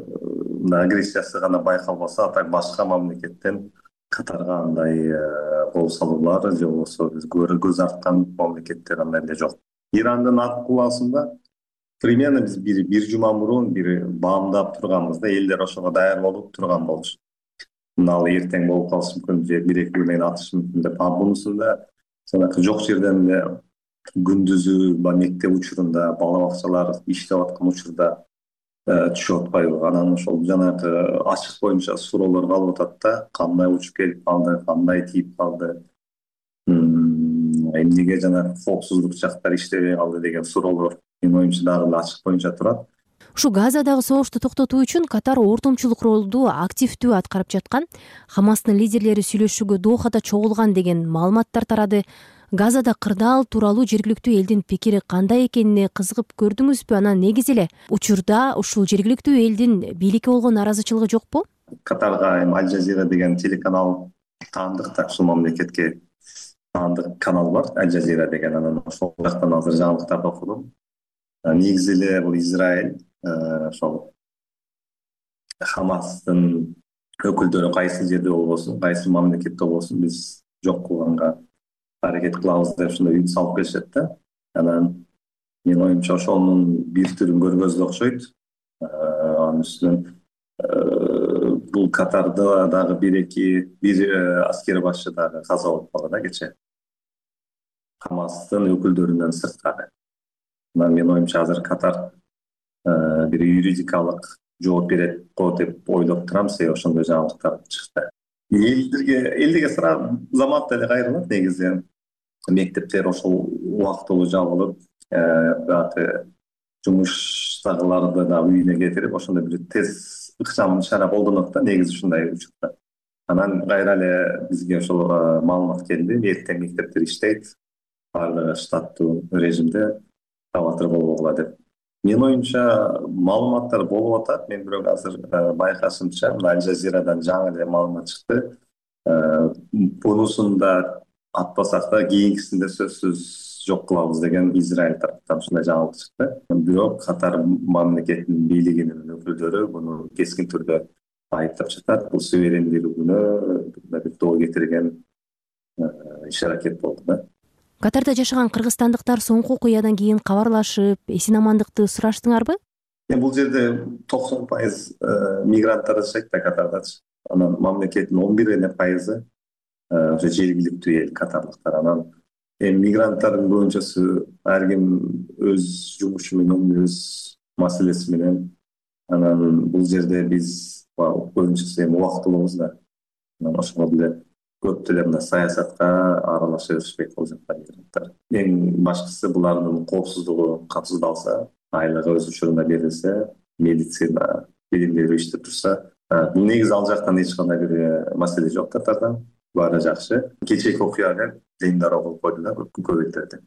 агрессиясы гана байкалбаса, так башка мамлекеттен Катарга андай кол салуулар же болбосо көз арткан мамлекеттер андай эле жок. Ирандын аткылаасында примерно биз бир жума мурун бир баамдап турганбыз да, элдер ошого даяр болуп турган болчу. Ал эртең болуп калышы мүмкүн же 1-2 күн менен атышы мүмкүн деп. Бунусунда жанагы жок жерден эле күндүзү мектеп учурунда, бала бакчалар иштеп аткан учурда түшүп атпайбы. Анан ошол жанагы ачык боюнча суроолор калып атат да, кандай учуп келип калды, кандай тийип калды, эмнеге жанагы коопсуздук жактар иштебей калды деген суроолор менин оюмча дагы ачык боюнча турат. Ушу Газадагы согушту токтотуу үчүн Катар ортомчулук ролду активдүү аткарып жаткан. Хамастын лидерлери сүйлөшүүгө Дохада чогулган деген маалыматтар тарады. Газада кырдаал тууралуу жергиликтүү элдин пикири кандай экенине кызыгып көрдүңүзбү? Анан негизи эле учурда ушул жергиликтүү элдин бийликке болгон наразычылыгы жокпу? Катарга Аль Жазира деген телеканал таандык да, ушул мамлекетке таандык канал бар, Аль Жазира деген. Анан ошол жактан азыр жаңылыктарды окудум. Негизи эле бул Израиль ошол Хамастын өкүлдөрү кайсы жерде болбосун, кайсы мамлекетте болбосун биз жок кылганга аракет кылабыз деп ушундай үмүт салып келишет да. Анан менин оюмча ошонун бир түрүн көргөзүп окшойт. Анын үстүнөн бул Катарда дагы бир аскер башчы дагы каза болуп калды да кечээ. Хамастын өкүлдөрүнөн сырткары. Менин оюмча азыр Катар бир юридикалык жооп берет го деп ойлоп турам. Себеби ошондой жаңылыктар чыкты. Элдерге сразу заматта эле кайрылат негизи. Мектептер ошол убактылуу жабылып, жумуштагыларды да үйүнө кетирип, ошондой бир тез ыкчам чара колдонот да негизи ушундай учурда. Анан кайра эле бизге ошол маалымат келди. Эртең мектептер иштейт, баардыгы штаттуу режимде, табатыр болбогула деп. Менин оюмча маалыматтар болуп атат. Мен бирок азыр байкашымча Аль Жазирадан жаңы эле маалымат чыкты. Бунусун да атпасак да кийинкисинде сөзсүз жок кылабыз деген Израиль тараптан ушундай жаңылык чыкты. Бирок Катар мамлекетинин бийлигинин өкүлдөрү муну кескин түрдө айыптап жатат. Бул суверендүүлүгүнө бир доо кетирген иш аракет болду да. Катарда жашаган кыргызстандыктар соңку окуядан кийин кабарлашып, эсин амандыкты сураштыңарбы? Бул жерде 90% мигранттар жашайт да Катардачы. Анан мамлекеттин 11% ошо жергиликтүү эл катарлыктар. Анан мигранттардын көбүнчөсү ар ким өз жумушу менен, өз маселеси менен. Анан бул жерде биз көбүнчөсү убактылуубуз да. Анан ошого деле көп деле мына саясатка аралаша беришпейт бул жакта мигранттар. Эң башкысы булардын коопсуздугу катууздалса, айлыгы өз учурунда берилсе, медицина билимдери иштеп турса, бул негизи ал жактан эч кандай бир маселе жок Катарда. Баары жакшы. Кечээки окуялар жыйындар болуп койду да көп элдерде.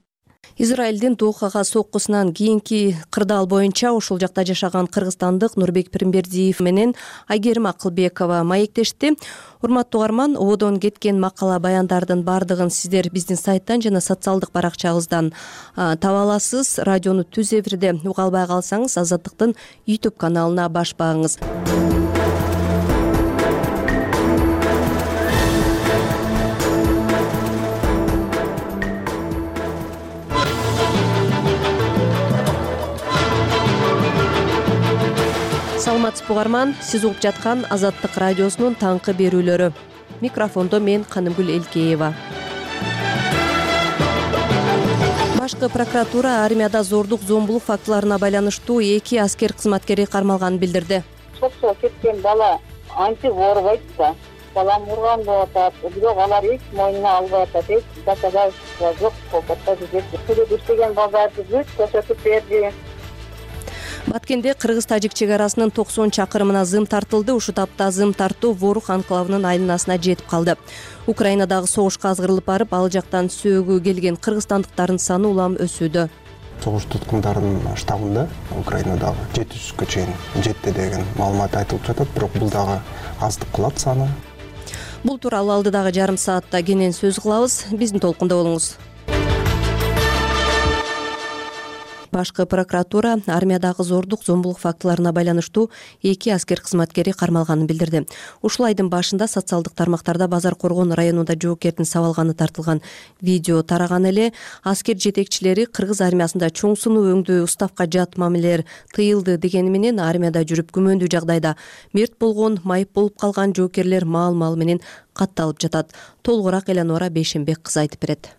Израилдин Дохага соккусунан кийинки кырдаал боюнча ушул жакта жашаган кыргызстандык Нурбек Пиримбердиев менен Айгерим Акылбекова маектешти. Урматтуу угарман, ободон кеткен макала баяндардын баардыгын сиздер биздин сайттан жана социалдык баракчабыздан таба аласыз. Радиону түз эфирде уга албай калсаңыз, Азаттыктын YouTube каналына баш багыңыз. Саламатсызбы угарман, сиз угуп жаткан Азаттык радиосунун таңкы берүүлөрү. Микрофондо мен Канымгүл Элкеева. Башкы прокуратура армияда зордук, зомбулук фактыларына байланыштуу 2 аскер кызматкери кармалганын билдирди. Соксо кеткен бала анча оорубайт да. Балам урган болуп атат, бирок алар эч мойнуна албай атат. Эч доказательство жок болуп атат. Сүрөт иштеген балдарды бүт көрсөтүп берди. Баткенде Кыргыз-Тажик чек арасынын 90 чакырымына зым тартылды. Ушу тапта зым тартуу Ворух анклавынын айланасына жетип калды. Украинадагы согушка азгырылып барып, ал жактан сөөгү келген кыргызстандыктардын саны улам өсүүдө. Согуш туткундардын штабында Украинадагы 700гө чейин жетти деген маалымат айтылып жатат, бирок бул дагы аздык кылат саны. Бул тууралуу алдыдагы жарым саатта кенен сөз кылабыз. Биздин толкунда болуңуз. Башкы прокуратура армиядагы зордук зомбулук фактыларына байланыштуу 2 аскер кызматкери кармалганын билдирди. Ушул айдын башында социалдык тармактарда Базар Коргон районунда жоокердин сабалганы тартылган видео тараган эле. Аскер жетекчилери кыргыз армиясында чоң сунуу өңдүү уставка жат мамилелер тыйылды дегени менен армияда жүрүп күмөндүү жагдайда мерт болгон, майып болуп калган жоокерлер маал менен катталып жатат. Толугураак Эланора Бейшенбек кызы айтып берет.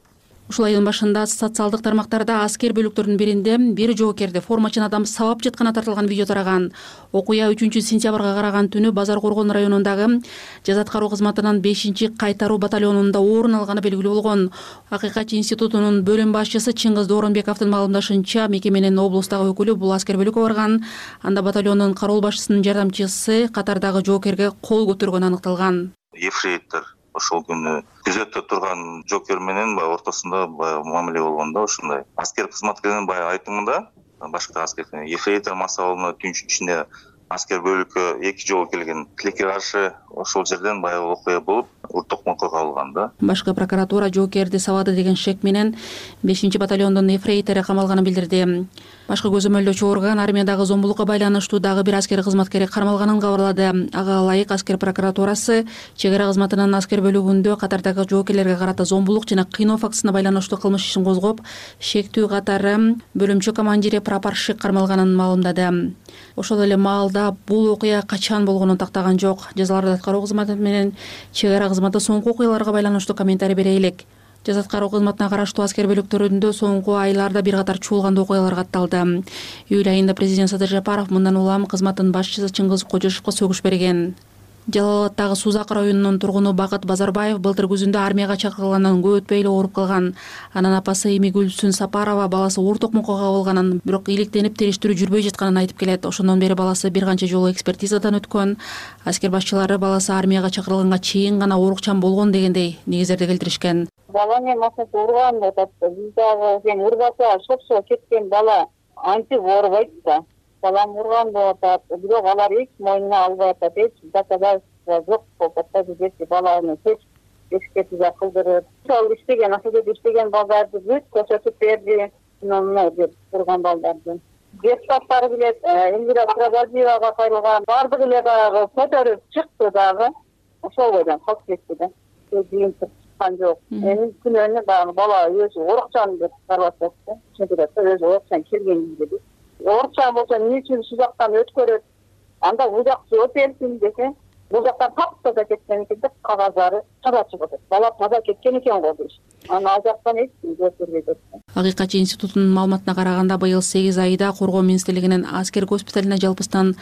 Ушул айдын башында социалдык тармактарда аскер бөлүктөрүнүн биринде бир жоокерди формачын адам сабап жатканы тартылган видео тараган. Окуя 3-сентябрга караган түнү Базар Коргон районундагы жаза аткаруу кызматынын 5-кайтаруу батальонунда орун алганы белгилүү болгон. Акыйкатчы институтунун бөлүм башчысы Чыңгыз Дооронбековдун маалымдашынча, мекеменин облустагы өкүлү бул аскер бөлүккө барган. Анда батальондун кароол башчысынын жардамчысы катардагы жоокерге кол көтөргөнү аныкталган. Ефрейтор ошол күнү күзөттө турган жоокер менен баягы ортосунда мамиле болгон да ушундай. Аскер кызматкеринин баягы айтымында башка аскер ефрейтор масабалына түн ичинде аскер бөлүккө 2 жолу келген. Тилекке каршы ошол жерден баягы окуя болуп, урт токмокко калган да. Башкы прокуратура жоокерди сабады деген шек менен 5-батальондун ефрейтору камалганын билдирди. Башкы көзөмөлдөөчү орган армиядагы зомбулукка байланыштуу дагы бир аскер кызматкери кармалганын кабарлады. Ага ылайык аскер прокуратурасы чек ара кызматынын аскер бөлүгүндө катардагы жоокерлерге карата зомбулук жана кыйноо фактысына байланыштуу кылмыш ишин козгоп, шектүү катары бөлүмчө командири прапорщик кармалганын маалымдады. Ошол эле маалда бул окуя качан болгонун тактаган жок. Жазаларды аткаруу кызматы менен чек ара кызматы соңку окуяларга байланыштуу комментарий бере элек. Жаза аткаруу кызматына караштуу аскер бөлүктөрүндө соңку айларда бир катар чуулгандуу окуялар катталды. Июль айында президент Садыр Жапаров мындан улам кызматтын башчысы Чыңгыз Кожошовго сөгүш берген. Жалал Абаддагы Сузак районунун тургуну Бакыт Базарбаев былтыр күзүндө армияга чакырылгандан көп өтпөй эле ооруп калган. Анын апасы Эми Гүлсүн Сапарова баласы оор токмокко кабылганын, бирок иликтенип териштирүү жүрбөй жатканын айтып келет. Ошондон бери баласы бир канча жолу экспертизадан өткөн. Аскер башчылары баласы армияга чакырылганга чейин гана оорукчан болгон дегендей негиздерди келтиришкен. Бала мен машинасы урган деп атты. Биз дагы сен урбаса шопсо кеткен бала антип оорубайт да. Балам урган болуп атат, бирок алар эч мойнуна албай атат, эч доказательство жок болуп атат. Бизде баланы эч экспертиза кылдырып, ал иштеген, акыйкат иштеген балдарды бүт көрсөтүп берди. Мына деп турган балдарды. Депутаттар билет, Элвира Сырабадиевага кайрылган, бардыгы эле дагы көтөрүп чыкты дагы. Ошол бойдон калып кетти да. Жыйын чыккан жок. Эми күнөөнү дагы бала өзү оорукчан деп карап атты. Чынында өзү оорукчан келген dedi. Оорукчан болсо эмне үчүн ушул жактан өткөрөт? Анда бул жак жооп берсин десе, бул жактан таптаза кеткен экен деп кагаздары таза чыгып атат. Бала таза кеткен экен го дейт. Аны ал жактан эч ким жооп бербейт. Акыйкатчы институтунун маалыматына караганда, быйыл 8 айда Коргоо министрлигинин аскер госпиталына жалпыстан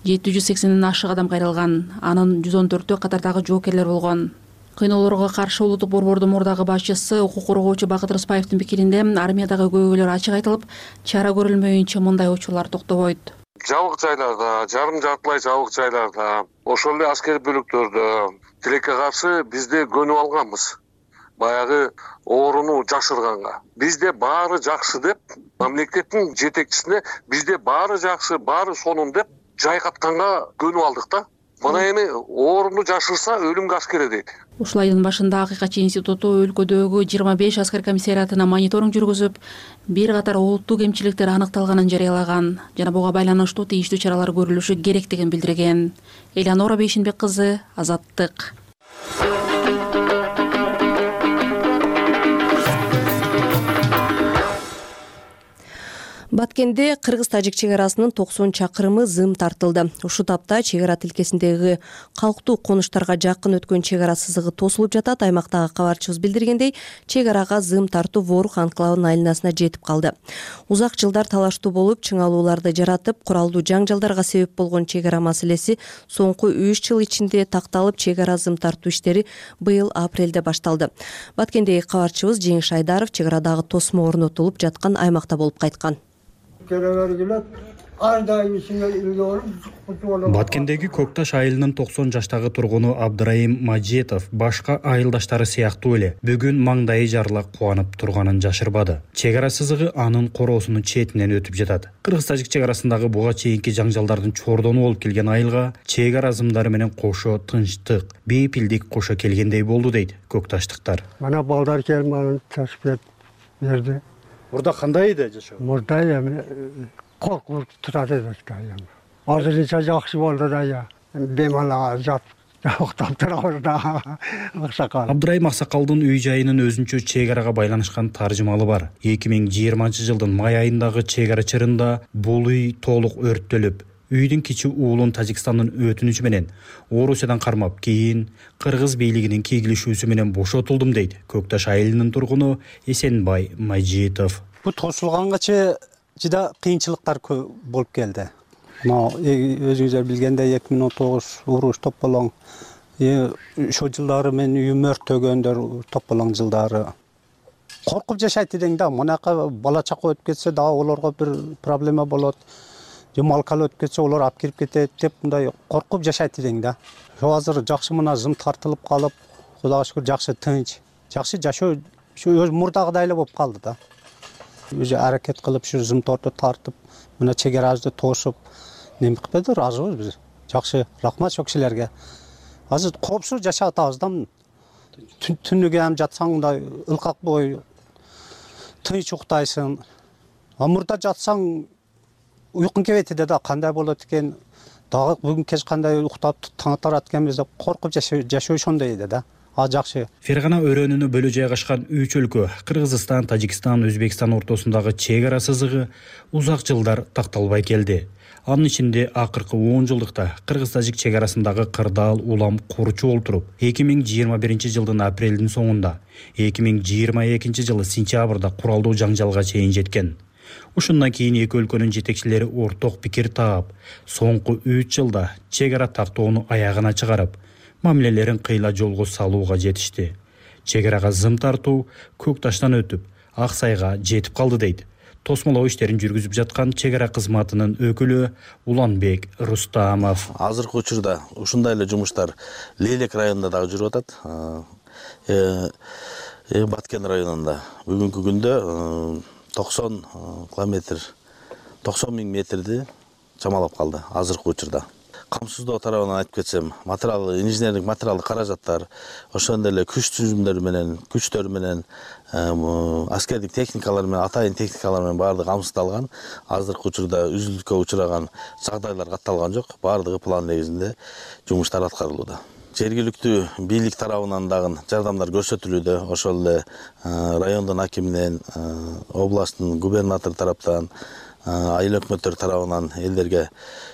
780ден ашык адам кайрылган. Анын 114-өө катардагы жоокерлер болгон. Кыйноолорго каршы улуттук борбордун мурдагы башчысы укук коргоочу Бакыт Рыспаевдин пикиринде, армиядагы көйгөйлөр ачык айтылып, чара көрүлмөйүнчө мындай учурлар токтобойт. Жабык жайларда, жарым жартылай жабык жайларда, ошол эле аскер бөлүктөрдө тилекке каршы бизде көнүп алганбыз. Баягы ооруну жашырганга. Бизде баары жакшы деп, мамлекеттин жетекчисине бизде баары жакшы, баары сонун деп жайкатканга көнүп алдык да. Мына эми ооруну жашырса өлүмгө аскер дейт. Ушул айдын башында Акыйкатчы институту өлкөдөгү 25 аскер комиссариатына мониторинг жүргүзүп, бир катар олуттуу кемчиликтер аныкталганын жарыялаган жана буга байланыштуу тийиштүү чаралар көрүлүшү керектигин билдирген. Эланора Бейшенбек кызы, Азаттык. Баткенде Кыргыз-Тажик чек арасынын 90 чакырымы зым тартылды. Ушул тапта чек ара тилкесиндеги калктуу конуштарга жакын өткөн чек ара сызыгы тосулуп жатат. Аймактагы кабарчыбыз билдиргендей, чек арага зым тартуу Ворух анклавынын айланасына жетип калды. Узак жылдар талаштуу болуп, чыңалууларды жаратып, куралдуу жаңжалдарга себеп болгон чек ара маселеси соңку 3 жыл ичинде такталып, чек ара зым тартуу иштери быйыл апрелде башталды. Баткендеги кабарчыбыз Жеңиш Айдаров чек арадагы тосмо орнотулуп жаткан аймакта болуп кайткан. Баткендеги Көкташ айылынын 90 жаштагы тургуну Абдырайым Мажетов башка айылдаштары сыяктуу эле бүгүн маңдайы жарыла кубанып турганын жашырбады. Чек ара сызыгы анын короосунун четинен өтүп жатат. Кыргыз-Тажик чек арасындагы буга чейинки жаңжалдардын чордону болуп келген айылга чек ара зымдары менен кошо тынчтык, бейпилдик кошо келгендей болду дейт көкташтыктар. Мана балдар келип аны ташып берди. Мурда кандай эле жашоо? Мурда эми коркунуп турат элек да эми. Азырынча жакшы болду да бемалага жатып уктап турабыз да. Аксакал. Абдырайым Аксакалдын үй жайынын өзүнчө чек арага байланышкан таржымалы бар. 2020-жылдын май айындагы чек ара чырында бул үй толук өрттөлүп, үйдүн кичи уулун Тажикстандын өтүнүчү менен Орусиядан кармап, кийин кыргыз бийлигинин кийгилишүүсү менен бошотулдум дейт Көкташ айылынын тургуну Эсенбай Мажитов. Бул тосулганга жыда кыйынчылыктар көп болуп келди. Мына өзүңүздөр билгендей 2019 уруш топполоң, ошол жылдары мен үйүм өрттөгөндөр топполоң жылдары. Коркуп жашайт эдең да, мынакы бала чака өтүп кетсе дагы олорго бир проблема болот. Же малкал өтүп кетсе олор алып кирип кетет деп мындай коркуп жашайт эдең да. Азыр жакшы мына зым тартылып калып, Кудайга шүгүр жакшы тынч, жакшы жашоо өз мурдагыдай эле болуп калды да. Өзү аракет кылып ушу зым торду тартып, мына чек арабызды тосуп, неме кылып ыраазыбыз биз. Жакшы, рахмат ошол кишилерге. Азыр коопсуз жашап атабыз да. Түнүгү ham жатсаң мындай ылкак бой, тынч уктайсың. Мурда жатсаң уйкуң келбейт да, кандай болот экен, дагы бүгүн кеч кандай уктап таң атарат экенбиз деп коркуп жашоо ошондой эди да. Жакшы. Фергана өрөөнүнө бөлө жайгашкан 3 өлкө Кыргызстан, Тажикстан, Өзбекстан ортосундагы чек ара сызыгы узак жылдар такталбай келди. Анын ичинде акыркы 10 жылдыкта Кыргыз-Тажик чек арасындагы кырдаал улам курчу болуп туруп, 2021-жылдын апрелдин соңунда, 2022-жылы сентябрда куралдуу жаңжалга чейин жеткен. Ушундан кийин эки өлкөнүн жетекчилери орток пикир таап, соңку 3 жылда чек ара тактоону аягына чыгарып, мамилелерин кыйла жолго салууга жетишти. Чек арага зым тартуу Көкташтан өтүп, Ак Сайга жетип калды дейт тосмолоо иштерин жүргүзүп жаткан чек ара кызматынын өкүлү Уланбек Рустамов. Азыркы учурда ушундай эле жумуштар Лелек районунда дагы жүрүп атат. Баткен районунда бүгүнкү күндө 90 километр, 90 миң метрди чамалап калды азыркы учурда. Камсыздоо тарабынан айтып кетсем, инженерлик материалдык каражаттар, ошондой эле күчтөр менен, аскердик техникалар менен, атайын техникалар менен баардыгы камсыздалган. Азыркы учурда үзүлүшкө учураган жагдайлар катталган жок. Баардыгы план негизинде жумуштар аткарылууда. Жергиликтүү бийлик тарабынан дагы жардамдар көрсөтүлүүдө. Ошол эле райондун акиминен, областтын губернатор тараптан, айыл өкмөттөр тарабынан элдерге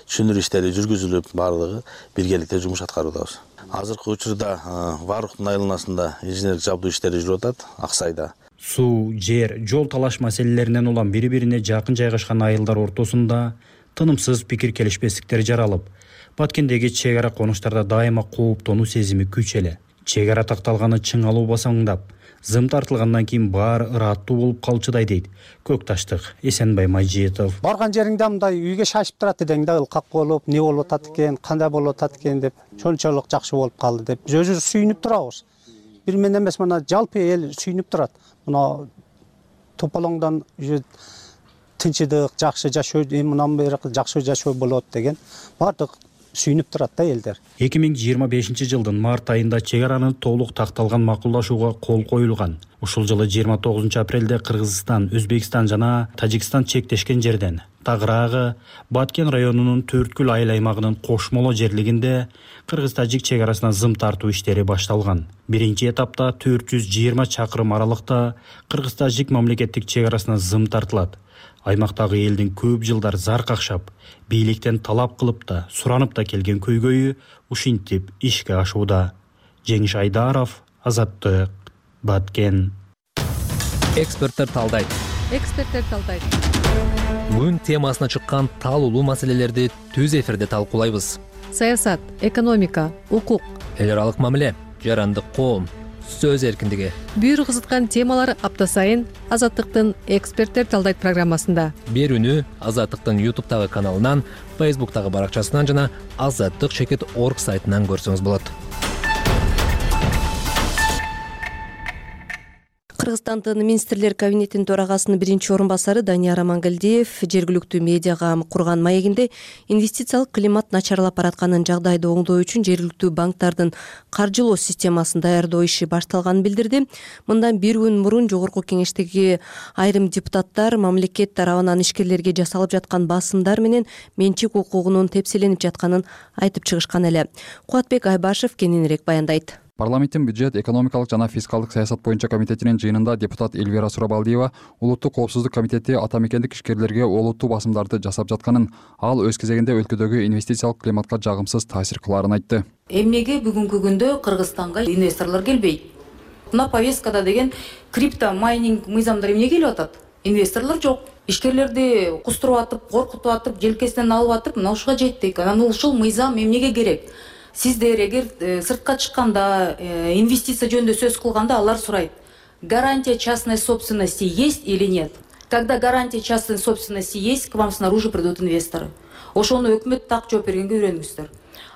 түшүндүрүү иштери жүргүзүлүп, баардыгы биргеликте жумуш аткаруудабыз. Азыркы учурда Варуктун айланасында инженерлик жабдуу иштери жүрүп атат, Ак Сайда. Суу, жер, жол талаш маселелеринен улам бири-бирине жакын жайгашкан айылдар ортосунда тынымсыз пикир келишпестиктер жаралып, Баткендеги чек ара конуштарда дайыма кооптонуу сезими күч эле. Чек ара такталганы чыңалуу басаңдап, зым тартылгандан кийин баары ыраттуу болуп калчудай дейт Көкташтык Эсенбай Мажитов. Барган жериңде мындай үйгө шашып турат эдең да, ылкак болуп, не болуп атат экен, кандай болуп атат экен деп, чончолук жакшы болуп калды деп биз өзүбүз сүйүнүп турабыз. Бир мен эмес, мына жалпы эл сүйүнүп турат. Мына тополоңдон тынчыдык, жакшы жашоо, мындан бери жакшы жашоо болот деген баардык сүйүнүп турат да элдер. 2025-жылдын март айында чек араны толук такталган макулдашууга кол коюлган. Ушул жылы 29 апрелде Кыргызстан, Өзбекстан жана Тажикстан чектешкен жерден тагыраагы Баткен районунун Төрткүл айыл аймагынын кошмоло жерлигинде Кыргыз-Тажик чек арасына зым тартуу иштери башталган. Биринчи этапта 420 чакырым аралыкта Кыргыз-Тажик мамлекеттик чек арасына зым тартылат. Аймактагы элдин көп жылдар зар какшап, бийликтен талап кылып да, суранып да келген көйгөйү ушинтип ишке ашууда. Жеңиш Айдаров, Азаттык, Баткен. Эксперттер талдайт. Күн темасына чыккан талуулуу маселелерди түз эфирде талкуулайбыз. Саясат, экономика, укук, эл аралык мамиле, жарандык коом, сөз эркиндиги. Бүйүр кызыткан темалар апта сайын Азаттыктын эксперттер талдайт программасында. Берүүнү Азаттыктын YouTube'тагы каналынан, Facebook'тагы баракчасынан жана azattik.org сайтынан көрсөңүз болот. Кыргызстандын министрлер кабинетинин төрагасынын биринчи орун басары Данияр Амангелдиев жергиликтүү медиага курган маегинде инвестициялык климат начарлап баратканын жагдайды оңдоо үчүн жергиликтүү банктардын каржылоо системасын даярдоо иши башталганын билдирди. Мындан бир күн мурун жогорку кеңештеги айрым депутаттар мамлекет тарабынан ишкерлерге жасалып жаткан басымдар менен менчик укугунун тепселенип жатканын айтып чыгышкан эле. Кубатбек Айбашев кененирээк баяндайт. Парламенттин бюджет, экономикалык жана фискалдык саясат боюнча комитетинин жыйынында депутат Эльвира Сурабалдиева улуттук коопсуздук комитети ата мекендик ишкерлерге олуттуу басымдарды жасап жатканын, ал өз кезегинде өлкөдөгү инвестициялык климатка жагымсыз таасир кылаарын айтты. Эмнеге бүгүнкү күндө Кыргызстанга инвесторлор келбейт? Мына повесткада деген крипто майнинг мыйзамдар эмне келип атат? Инвесторлор жок. Ишкерлерди кустуруп атып, коркутуп атып, желкесинен алып атып, мына ушуга жеттик. Анан ушул мыйзам эмнеге керек? Сиздер эгер сыртка чыкканда, инвестиция жөнүндө сөз кылганда алар сурайт. Гарантия частной собственности есть или нет? Когда гарантия частной собственности есть, к вам снаружи придут инвесторы. Ошону өкмөт так жооп бергенге үйрөнүңүздөр.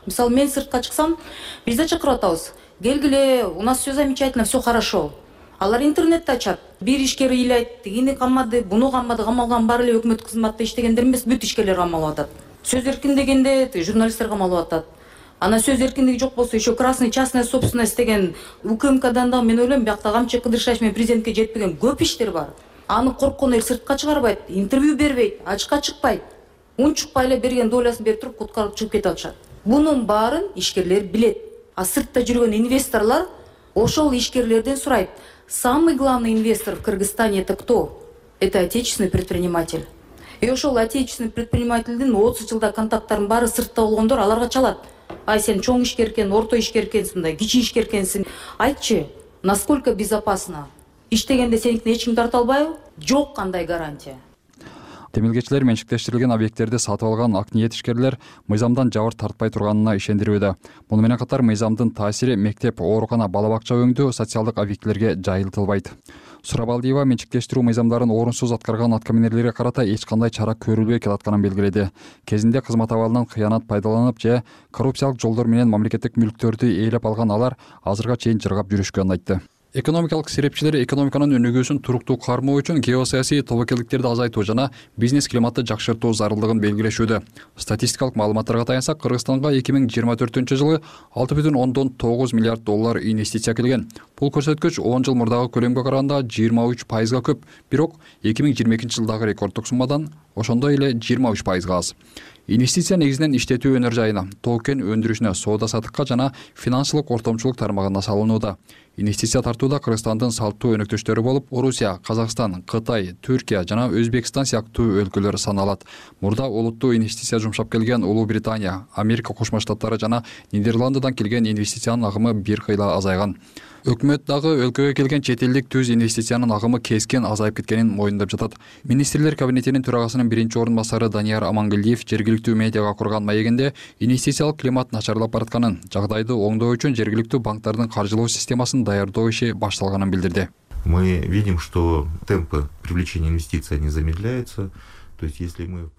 Мисалы, мен сыртка чыксам, бизде чакырып атабыз. Келгиле, у нас все замечательно, все хорошо. Алар интернетти ачат. Бир ишкер ыйлайт, тигини камады, буну камады, камалган баары эле өкмөт кызматта иштегендер эмес, бүт ишкерлер камалып атат. Сөз эркин дегенде журналисттер камалып атат. Ана сөз эркиндиги жок болсо, еще красный частная собственность деген УКМКдан да мен ойлойм, биякта камчы кыдыршаш менен президентке жетпеген көп иштер бар. Аны корккон эл сыртка чыгарбайт, интервью бербейт, ачыкка чыкпайт. Унчукпай эле берген долясын берип туруп куткарып чыгып кетип атышат. Бунун баарын ишкерлер билет. А сыртта жүргөн инвесторлор ошол ишкерлерден сурайт. Самый главный инвестор в Кыргызстане это кто? Это отечественный предприниматель. И ошол отечественный предпринимательдин 30 жылда контакттарын баары сыртта болгондор аларга чалат. Ай, сен чоң ишкер экен, орто ишкер экенсиң да, кичи ишкер экенсиң. Айтчы, насколько безопасно? Иштегенде сеникин эч ким тарта албайбы? Жок кандай гарантия. Темилгечилер менчиктештирилген объекттерди сатып алган ак ниет ишкерлер мыйзамдан жабыр тартпай турганына ишендирүүдө. Муну менен катар мыйзамдын таасири мектеп, оорукана, бала бакча өңдүү социалдык объектилерге жайылтылбайт. Сурабалдиева менчиктештирүү мыйзамдарын орунсуз аткарган аткаминерлерге карата эч кандай чара көрүлбөй келатканын белгиледи. Кезинде кызмат абалынан кыянат пайдаланып же коррупциялык жолдор менен мамлекеттик мүлктөрдү ээлеп алган алар азырга чейин жыргап жүрүшкөнүн айтты. Экономикалык серепчилер экономиканын өнүгүүсүн туруктуу кармоо үчүн геосаясий тобокелдиктерди азайтуу жана бизнес климатты жакшыртуу зарылдыгын белгилешүүдө. Статистикалык маалыматтарга таянсак, Кыргызстанга 2024-жылы 6,9 миллиард доллар инвестиция келген. Бул көрсөткүч 10 жыл мурдагы көлөмгө караганда 23%га көп, бирок 2022-жылдагы рекорддук суммадан ошондой эле 23%га аз. Инвестиция негизинен иштетүү өнөр жайына, тоо-кен өндүрүшүнө, соода саттыкка жана финансылык ортомчулук тармагына салынууда. Инвестиция тартууда Кыргызстандын салттуу өнөктөштөрү болуп, Орусия, Казакстан, Кытай, Түркия жана Өзбекстан сыяктуу өлкөлөр саналат. Мурда олуттуу инвестиция жумшап келген Улуу Британия, Америка Кошмо Штаттары жана Нидерландыдан келген инвестициянын агымы бир кыйла азайган. Өкмөт дагы өлкөгө келген чет элдик түз инвестициянын агымы кескин азайып кеткенин моюндап жатат. Министрлер кабинетинин төрагасынын биринчи орун басары Данияр Амангелдиев жергиликтүү медиага курган маегинде инвестициялык климат начарлап баратканын, жагдайды оңдоо үчүн жергиликтүү банктардын каржылоо системасын даярдоо иши башталганын билдирди. Мы видим, что темпы привлечения инвестиций не замедляются.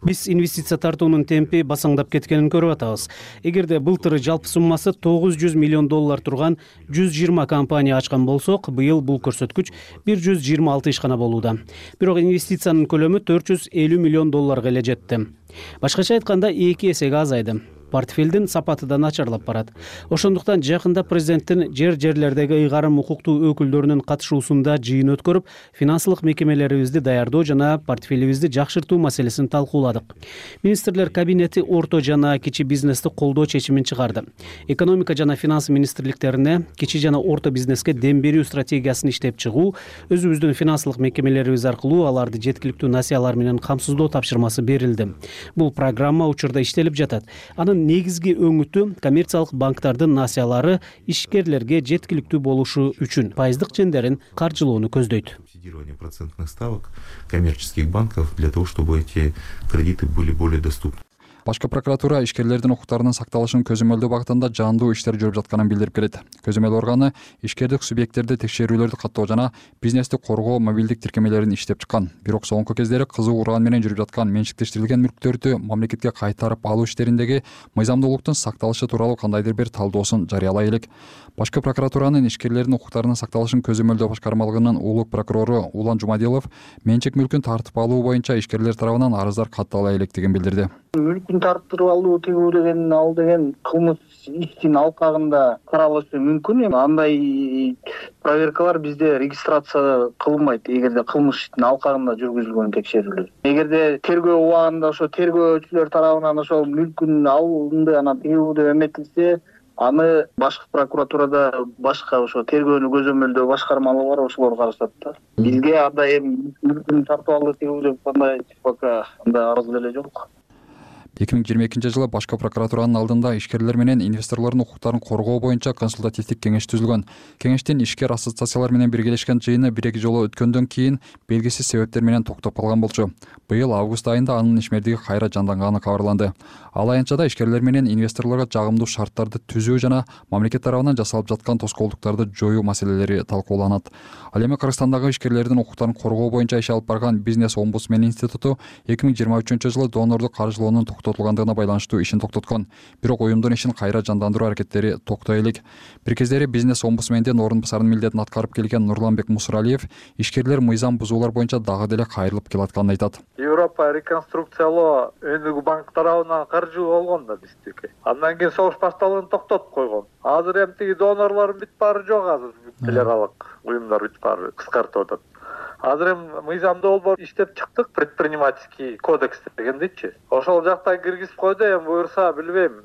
Биз инвестиция тартуунун темпи басаңдап кеткенин көрүп атабыз. Эгерде былтыр жалпы суммасы 900 миллион доллар турган 120 компания ачкан болсок, быйыл бул көрсөткүч 126 ишкана болууда. Бирок инвестициянын көлөмү 450 миллион долларга эле жетти. Башкача айтканда 2 эсеге азайды. Портфелдин сапаты да начарлап барат. Ошондуктан жакында президенттин жерлердеги ыйгарым укуктуу өкүлдөрүнүн катышуусунда жыйын өткөрүп, финансылык мекемелерибизди даярдоо жана портфелибизди жакшыртуу маселесин талкууладык. Министрлер кабинети орто жана кичи бизнести колдоо чечимин чыгарды. Экономика жана финанс министрликтерине кичи жана орто бизнеске дем берүү стратегиясын иштеп чыгуу, өзүбүздүн финансылык мекемелерибиз аркылуу аларды жеткиликтүү насыялар менен камсыздоо тапшырмасы берилди. Бул программа учурда иштелип жатат. Анын негизги өңүтү коммерциялык банктардын насыялары ишкерлерге жеткиликтүү болушу үчүн пайыздык чендерин каржылоону көздөйт. Субсидирование процентных ставок коммерческих банков для того, чтобы эти кредиты были более доступны. Башкы прокуратура ишкерлердин укуктарынын сакталышын көзөмөлдөө багытында жаандуу иштер жүрүп жатканын билдирип келет. Көзөмөл органы ишкердик субъекттерди текшерүүлөрдү каттоо жана бизнести коргоо мобилдик тиркемелерин иштеп чыккан. Бирок соңку кездери кызуу уран менен жүрүп жаткан менчиктештирилген мүлктөрдү мамлекетке кайтарып алуу иштериндеги мыйзамдуулуктун сакталышы тууралуу кандайдыр бир талдоосун жарыялай элек. Башкы прокуратуранын ишкерлердин укуктарынын сакталышын көзөмөлдөө башкармалыгынын улук прокурору Улан Жумадилов менчик мүлкүн тартып алуу боюнча ишкерлер тарабынан арыздар каттала электигин билдирди. Мүлкүн тартып алуу тигүү деген ал деген кылмыш иштин алкагында каралышы мүмкүн. Андай проверкалар бизде регистрация кылынбайт эгерде кылмыш иштин алкагында жүргүзүлгөн текшерүүлөр. Эгерде тергөө убагында ошо тергөөчүлөр тарабынан ошол мүлкүн алынды анан тигүү деп эметилсе, аны башкы прокуратурада башка ошо тергөөнү көзөмөлдөө башкармалыгы бар, ошолор карашат да. Бизге андай эми мүлкүн тартып алды тигүү деп кандай пока андай арыз деле жок. 2022-жылы башкы прокуратуранын алдында ишкерлер менен инвесторлордун укуктарын коргоо боюнча консультативдик кеңеш түзүлгөн. Кеңештин ишкер ассоциациялар менен биргелешкен жыйыны 1-2 жолу өткөндөн кийин белгисиз себептер менен токтоп калган болчу. Быйыл август айында анын ишмердиги кайра жанданганы кабарланды. Ал аянтчада ишкерлер менен инвесторлорго жагымдуу шарттарды түзүү жана мамлекет тарабынан жасалып жаткан тоскоолдуктарды жоюу маселелери талкууланат. Ал эми Кыргызстандагы ишкерлердин укуктарын коргоо боюнча иш алып барган Бизнес-омбудсмен институту 2023-жылы донордук каржылоонун токтотулгандыгына байланыштуу ишин токтоткон. Бирок уюмдун ишин кайра жандандыруу аракеттери токтой элек. Бир кездери Бизнес-омбудсмендин орун басарынын милдетин аткарып келген Нурланбек Мусуралиев ишкерлер мыйзам бузуулар боюнча дагы деле кайрылып келатканын айтат. Европа реконструкциялоо өнүгүү банк тарабынан каржы болгон да биздики. Андан кийин согуш башталган токтотуп койгон. Азыр эми тиги донорлордун бүт баары жок азыр. Федералдык уюмдар бүт баары кыскартып атат. Азыр эми мыйзамды болбор иштеп чыктык, предпринимательский кодекс дегендичи. Ошол жакта киргизип койду, эми буюрса билбейм.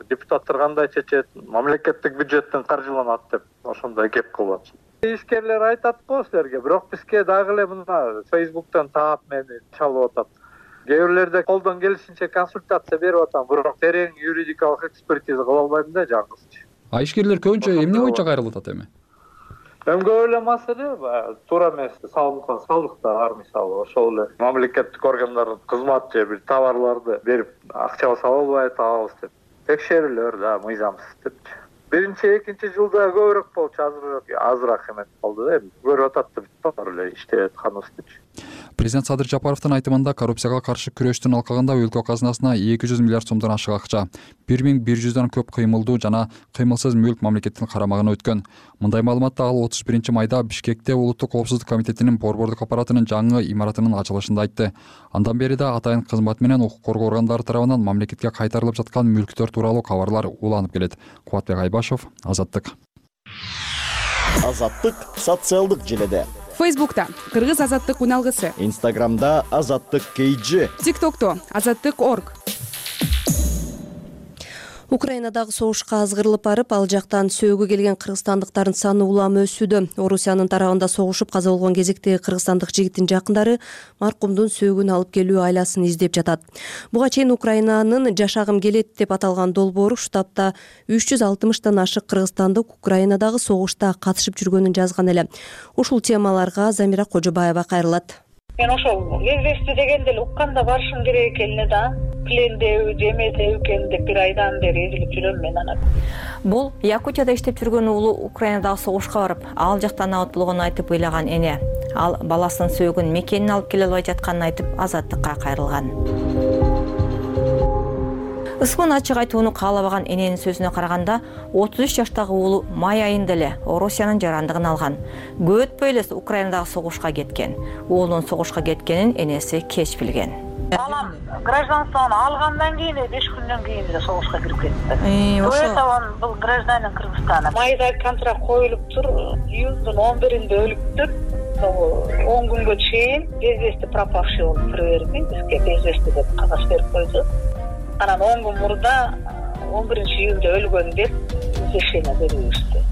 Депутаттар кандай чечет, мамлекеттик бюджеттен каржыланат деп ошондой кеп кылат. Ишкерлер айтат го силерге, бирок бизге дагы эле мына Facebook'тан таап мени чалып атат. Кээ бирлерде колдон келишинче консультация берип атам, бирок терең юридикалык экспертиза кыла албайм да жаңгысчы. А ишкерлер көбүнчө эмне боюнча кайрылып атат эми? Эми көп эле маселе туура эмес салынган салыктар мисалы ошол эле мамлекеттик органдардын кызмат же бир товарларды берип акчабыз ала албай атабыз деп текшерүүлөр да мыйзамсыз депчи. Биринчи, экинчи жылда көбүрөөк болчу, азыраак эметип калды да эми. Көрүп атат да бар эле иштеп атканыбыз депчи. Президент Садыр Жапаровдун айтымында коррупцияга каршы күрөштүн алкагында өлкө казынасына 200 миллиард сомдон ашык акча, 1100дөн көп кыймылдуу жана кыймылсыз мүлк мамлекеттин карамагына өткөн. Мындай маалыматты ал 31-майда Бишкекте Улуттук коопсуздук комитетинин борбордук аппаратынын жаңы имаратынын ачылышында айтты. Андан бери да атайын кызмат менен укук коргоо органдары тарабынан мамлекетке кайтарылып жаткан мүлктөр тууралуу кабарлар уланып келет. Кубатбек Айбашев, Азаттык. Азаттык социалдык желеде. Фейсбукта Кыргыз Азаттык уналгысы. Инстаграмда Азаттык KG. ТикТокто Азаттык.org. Украинадагы согушка азгырылып барып, ал жактан сөөгө келген кыргызстандыктардын саны улам өсүүдө. Орусиянын тарабында согушуп каза болгон кезектеги кыргызстандык жигиттин жакындары маркумдун сөөгүн алып келүү айласын издеп жатат. Буга чейин Украинанын жашагым келет деп аталган долбоору штабта 360тан ашык кыргызстандык Украинадагы согушта катышып жүргөнүн жазган эле. Ушул темаларга Замира Кожобаева кайрылат. Мен ошол известие дегенде эле укканда барышым керек экенине да. Плендеби, жемесеби экен деп бир айдан бери изилип жүрөм мен аны. Бул Якутияда иштеп жүргөн уулу Украинадагы согушка барып, ал жактан абат болгонун айтып ыйлаган эне. Ал баласынын сөөгүн мекенин алып келе албай жатканын айтып Азаттыкка кайрылган. Ысмын ачык айтууну каалабаган эненин сөзүнө караганда, 33 жаштагы уулу май айында эле Орусиянын жарандыгын алган. Көп өтпөй эле Украинадагы согушка кеткен. Уулунун согушка кеткенин энеси кеч билген. Балам гражданствону алгандан кийин 5 күндөн кийин эле согушка кирип кетти. Ошо бул гражданин Кыргызстана. Майда контракт коюлуп тур, июндун 11-inde өлүптүр. 10 күнгө чейин безвести пропавший болуп тура берди. Бизге безвести деп кагаз берип койду. Анан 10 күн мурда 11-июнда өлгөн деп извещение беришти.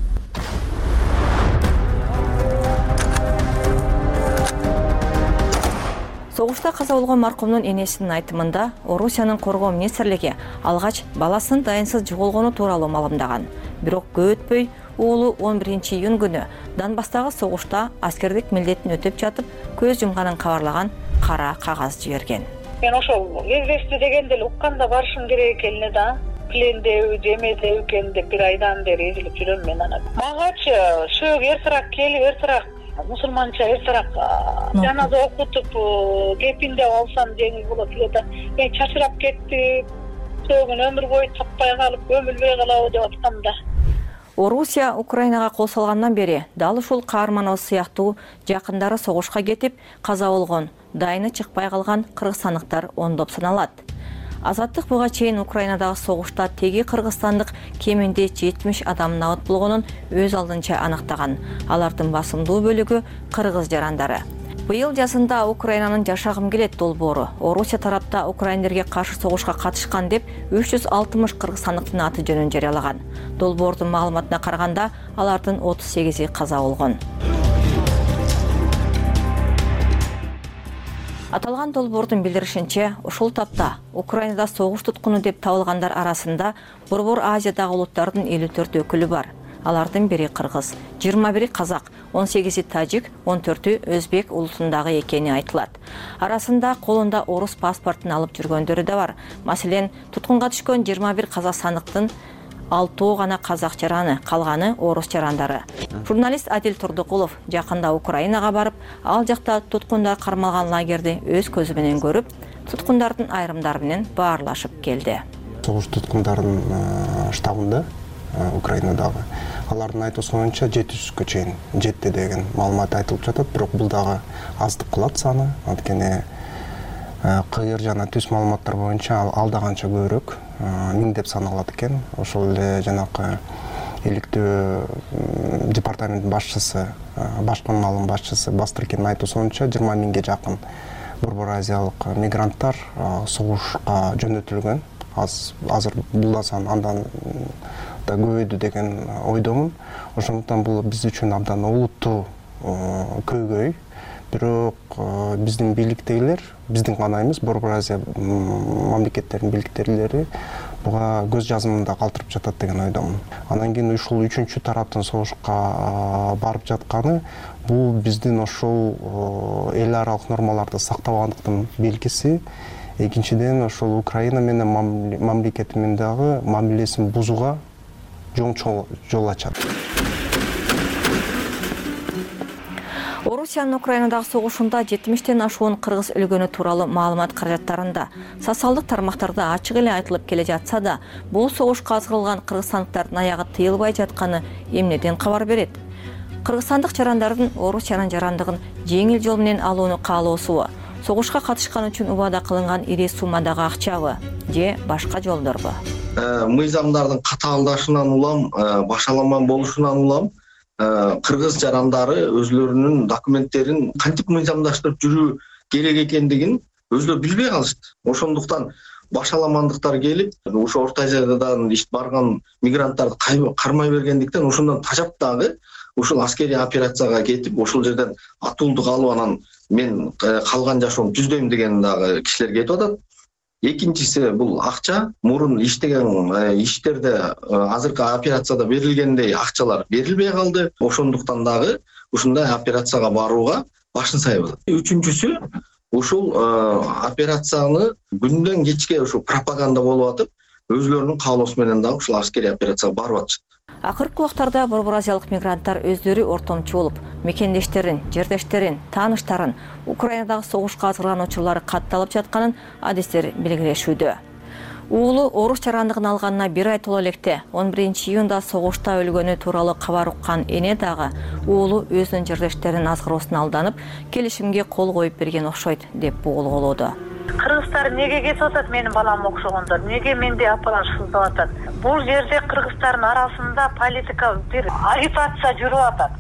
Согушта каза болгон маркумдун энесинин айтымында Орусиянын коргоо министрлиги алгач баласынын дайынсыз жоголгону тууралуу маалымдаган. Бирок көп өтпөй уулу 11-июнь күнү Донбасстагы согушта аскердик милдетин өтөп жатып көз жумганын кабарлаган кара кагаз жиберген. Мен ошол везбешти дегенде эле укканда барышым керек экенине да. Плендеби, жемедеби экен деп бир айдан бери эзилип жүрөм мен анан. Магачы шөөг эртерээк келип, эртерээк мусулманча эртерээк жаназа окутуп кепиндеп алсам жеңил болот эле да. Мен чачырап кеттим. Сөөгүн өмүр бою таппай калып, көмүлбөй калабы деп аткам да. Орусия Украинага кол салгандан бери дал ушул каарманыбыз сыяктуу жакындары согушка кетип, каза болгон, дайыны чыкпай калган кыргызстандыктар ондоп саналат. Азаттык буга чейин Украинадагы согушта теги кыргызстандык кеминде 70 адам набыт болгонун өз алдынча аныктаган. Алардын басымдуу бөлүгү кыргыз жарандары. Быйыл жазында Украинанын жашагым келет долбоору Орусия тарапта украиндерге каршы согушка катышкан деп 360 кыргызстандыктын аты жөнүн жарыялаган. Долбоордун маалыматына караганда алардын 38 каза болгон. Аталган долбоордун билдиришинче, ушул тапта Украинада согуш туткуну деп табылгандар арасында Борбор Азиядагы улуттардын 54 өкүлү бар. Алардын бири кыргыз, 21 казак, 18 тажик, 14 өзбек улутундагы экени айтылат. Арасында колунда орус паспортун алып жүргөндөрү да бар. Маселен, туткунга түшкөн 21 казакстандыктын 6 гана казак жараны, калганы орус жарандары. Журналист Адил Турдукулов жакында Украинага барып, ал жакта туткундар кармалган лагерди өз көзү менен көрүп, туткундардын айрымдары менен баарлашып келди. Согуш туткундардын штабында Украинадагы алардын айтуусунча 700-кө чейин жетти деген маалымат айтылып жатат, бирок бул дагы аздык кылат саны. Анткени кыйыр жана түз маалыматтар боюнча ал да канча көбүрөөк, 1000 деп саналат экен. Ошол эле жанакы иликтөө департаменттин башчысы, башкы малым башчысы Бастыркендин айтуусунча 20 000ге жакын Борбор Азиялык мигранттар согушка жөнөтүлгөн. Азыр бул да сан андан да көбөйдү деген ойдомун. Ошондуктан бул биз үчүн абдан олуттуу көйгөй. Бирок биздин бийликтегилер, биздин гана эмес, Борбор Азия мамлекеттеринин бийликтегилери буга көз жазымында калтырып жатат деген ойдомун. Анан кийин ушул үчүнчү тараптын согушка барып жатканы бул биздин ошол эл аралык нормаларды сактабагандыктын белгиси. Экинчиден ошол Украина менен мамлекети менен дагы мамилесин бузууга жол ачат. Орусиянын Украинадагы согушунда 70тен ашуун кыргыз өлгөнү тууралуу маалымат каражаттарында социалдык тармактарда ачык эле айтылып келе жатса да, бул согушка азгырылган кыргызстандыктардын аягы тыйылбай жатканы эмнеден кабар берет? Кыргызстандык жарандардын Орусиянын жарандыгын жеңил жол менен алууну каалоосубу? Согушка катышкан үчүн убада кылынган ири суммадагы акчабы же башка жолдорбу? Мыйзамдардын катаалдашынан улам, башаламан болушунан улам кыргыз жарандары өзлөрүнүн документтерин кантип мыйзамдаштырып жүрүү керек экендигин өзлөрү билбей калышты. Ошондуктан башаламандыктар келип, ошо Орто Азиядан ишт барган мигранттарды кармай бергендиктен ошондон тажап дагы ушул аскерий операцияга кетип, ошол жерден атуулдук алып, анан мен калган жашоомду түздөйм деген дагы кишилер кетип атат. Экинчиси бул акча, мурун иштеген иштерде азыркы операцияда берилгендей акчалар берилбей калды. Ошондуктан дагы ушундай операцияга барууга башын сайбады. Үчүнчүсү ушул операцияны күндөн кечке ушул пропаганда болуп атып, өзлөрүнүн каалоосу менен дагы ушул аскерий операцияга барып атышат. Акыркы убактарда Борбор Азиялык мигранттар өздөрү ортомчу болуп, мекендештерин, жердештерин, тааныштарын Украинадагы согушка азгырган учурлары катталып жатканын адистер белгилешүүдө. Уулу орус жарандыгын алганына 1 ай толо электе 11 июнда согушта өлгөнү тууралуу кабар уккан эне дагы уулу өзүнүн жердештеринин азгыроосуна алданып, келишимге кол коюп берген окшойт деп болгоолоду. Кыргыздар неге кетип атат менин балам окшогондор? Неге менде апалар сыздап атат? Бул жерде кыргыздардын арасында политика бир агитация жүрүп атат.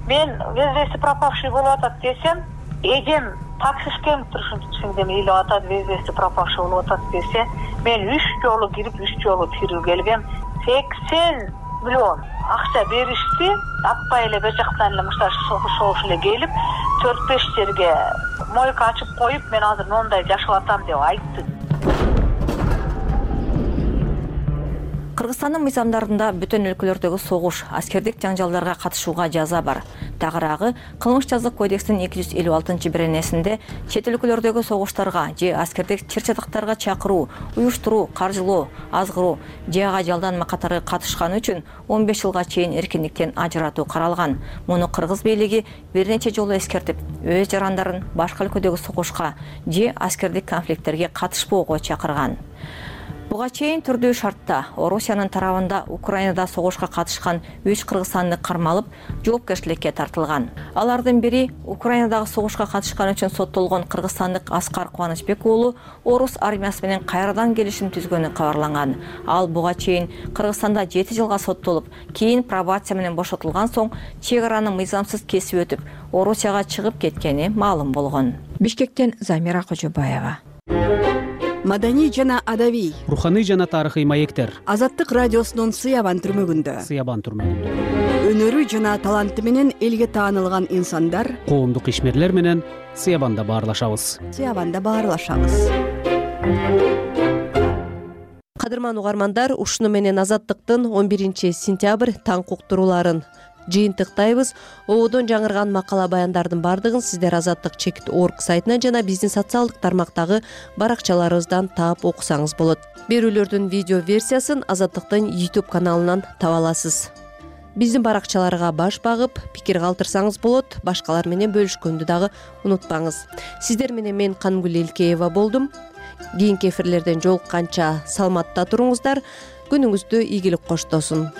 Мен везде пропавший болуп атат десем, эжем таксишкем турушунча илип атат, везде пропавший болуп атат десе, мен 3 жолу кирип, 3 жолу чыгып келгем. 80 миллион акча беришти, атпай эле бер жактан эле мыштар согуш эле келип, 4-5 жерге мойка ачып коюп, мен азыр мондай жашап атам деп айтты. Кыргызстандын мыйзамдарында бүтүн өлкөлөрдөгү согуш, аскердик жаңжалдарга катышууга жаза бар. Тагыраагы Кылмыш жазык кодекстин 256-беренесинде чет өлкөлөрдөгү согуштарга же аскердик чыр-чатактарга чакыруу, уюштуруу, каржылоо, азгыруу же ага жалданма катары катышканы үчүн 15 жылга чейин эркиндиктен ажыратуу каралган. Муну кыргыз бийлиги бир нече жолу эскертип, өз жарандарын башка өлкөдөгү согушка же аскердик конфликттерге катышпоого чакырган. Буга чейин түрдүү шартта Орусиянын тарабында Украинада согушка катышкан 3 кыргызстандык кармалып, жоопкерчиликке тартылган. Алардын бири Украинадагы согушка катышкан үчүн соттолгон кыргызстандык Аскар Кубанычбек уулу орус армиясы менен кайрадан келишим түзгөнү кабарланган. Ал буга чейин Кыргызстанда 7 жылга соттолуп, кийин пробация менен бошотулган соң чек араны мыйзамсыз кесип өтүп, Орусияга чыгып кеткени маалым болгон. Бишкектен Замира Кожобаева. Маданий жана адабий, руханий жана тарыхый маектер. Азаттык радиосунун Сыябан түрмөгүндө. Өнөрү жана таланты менен элге таанылган инсандар, коомдук ишмерлер менен Сыябанда баарлашабыз. Кадырман угармандар, ушуну менен Азаттыктын 11-сентябрь таң уктурууларын жыйынтыктайбыз. Ободон жаңырган макала баяндардын бардыгын сиздер azattik.org сайтынан жана биздин социалдык тармактагы баракчаларыбыздан таап окусаңыз болот. Берүүлөрдүн видео версиясын Азаттыктын YouTube каналынан таба аласыз. Биздин баракчаларга баш багып, пикир калтырсаңыз болот. Башкалар менен бөлүшкөндү дагы унутпаңыз. Сиздер менен мен Кангүл Элкеева болдум. Кийинки эфирлерден жолукканча саламатта туруңуздар. Күнүңүздү ийгилик коштосун.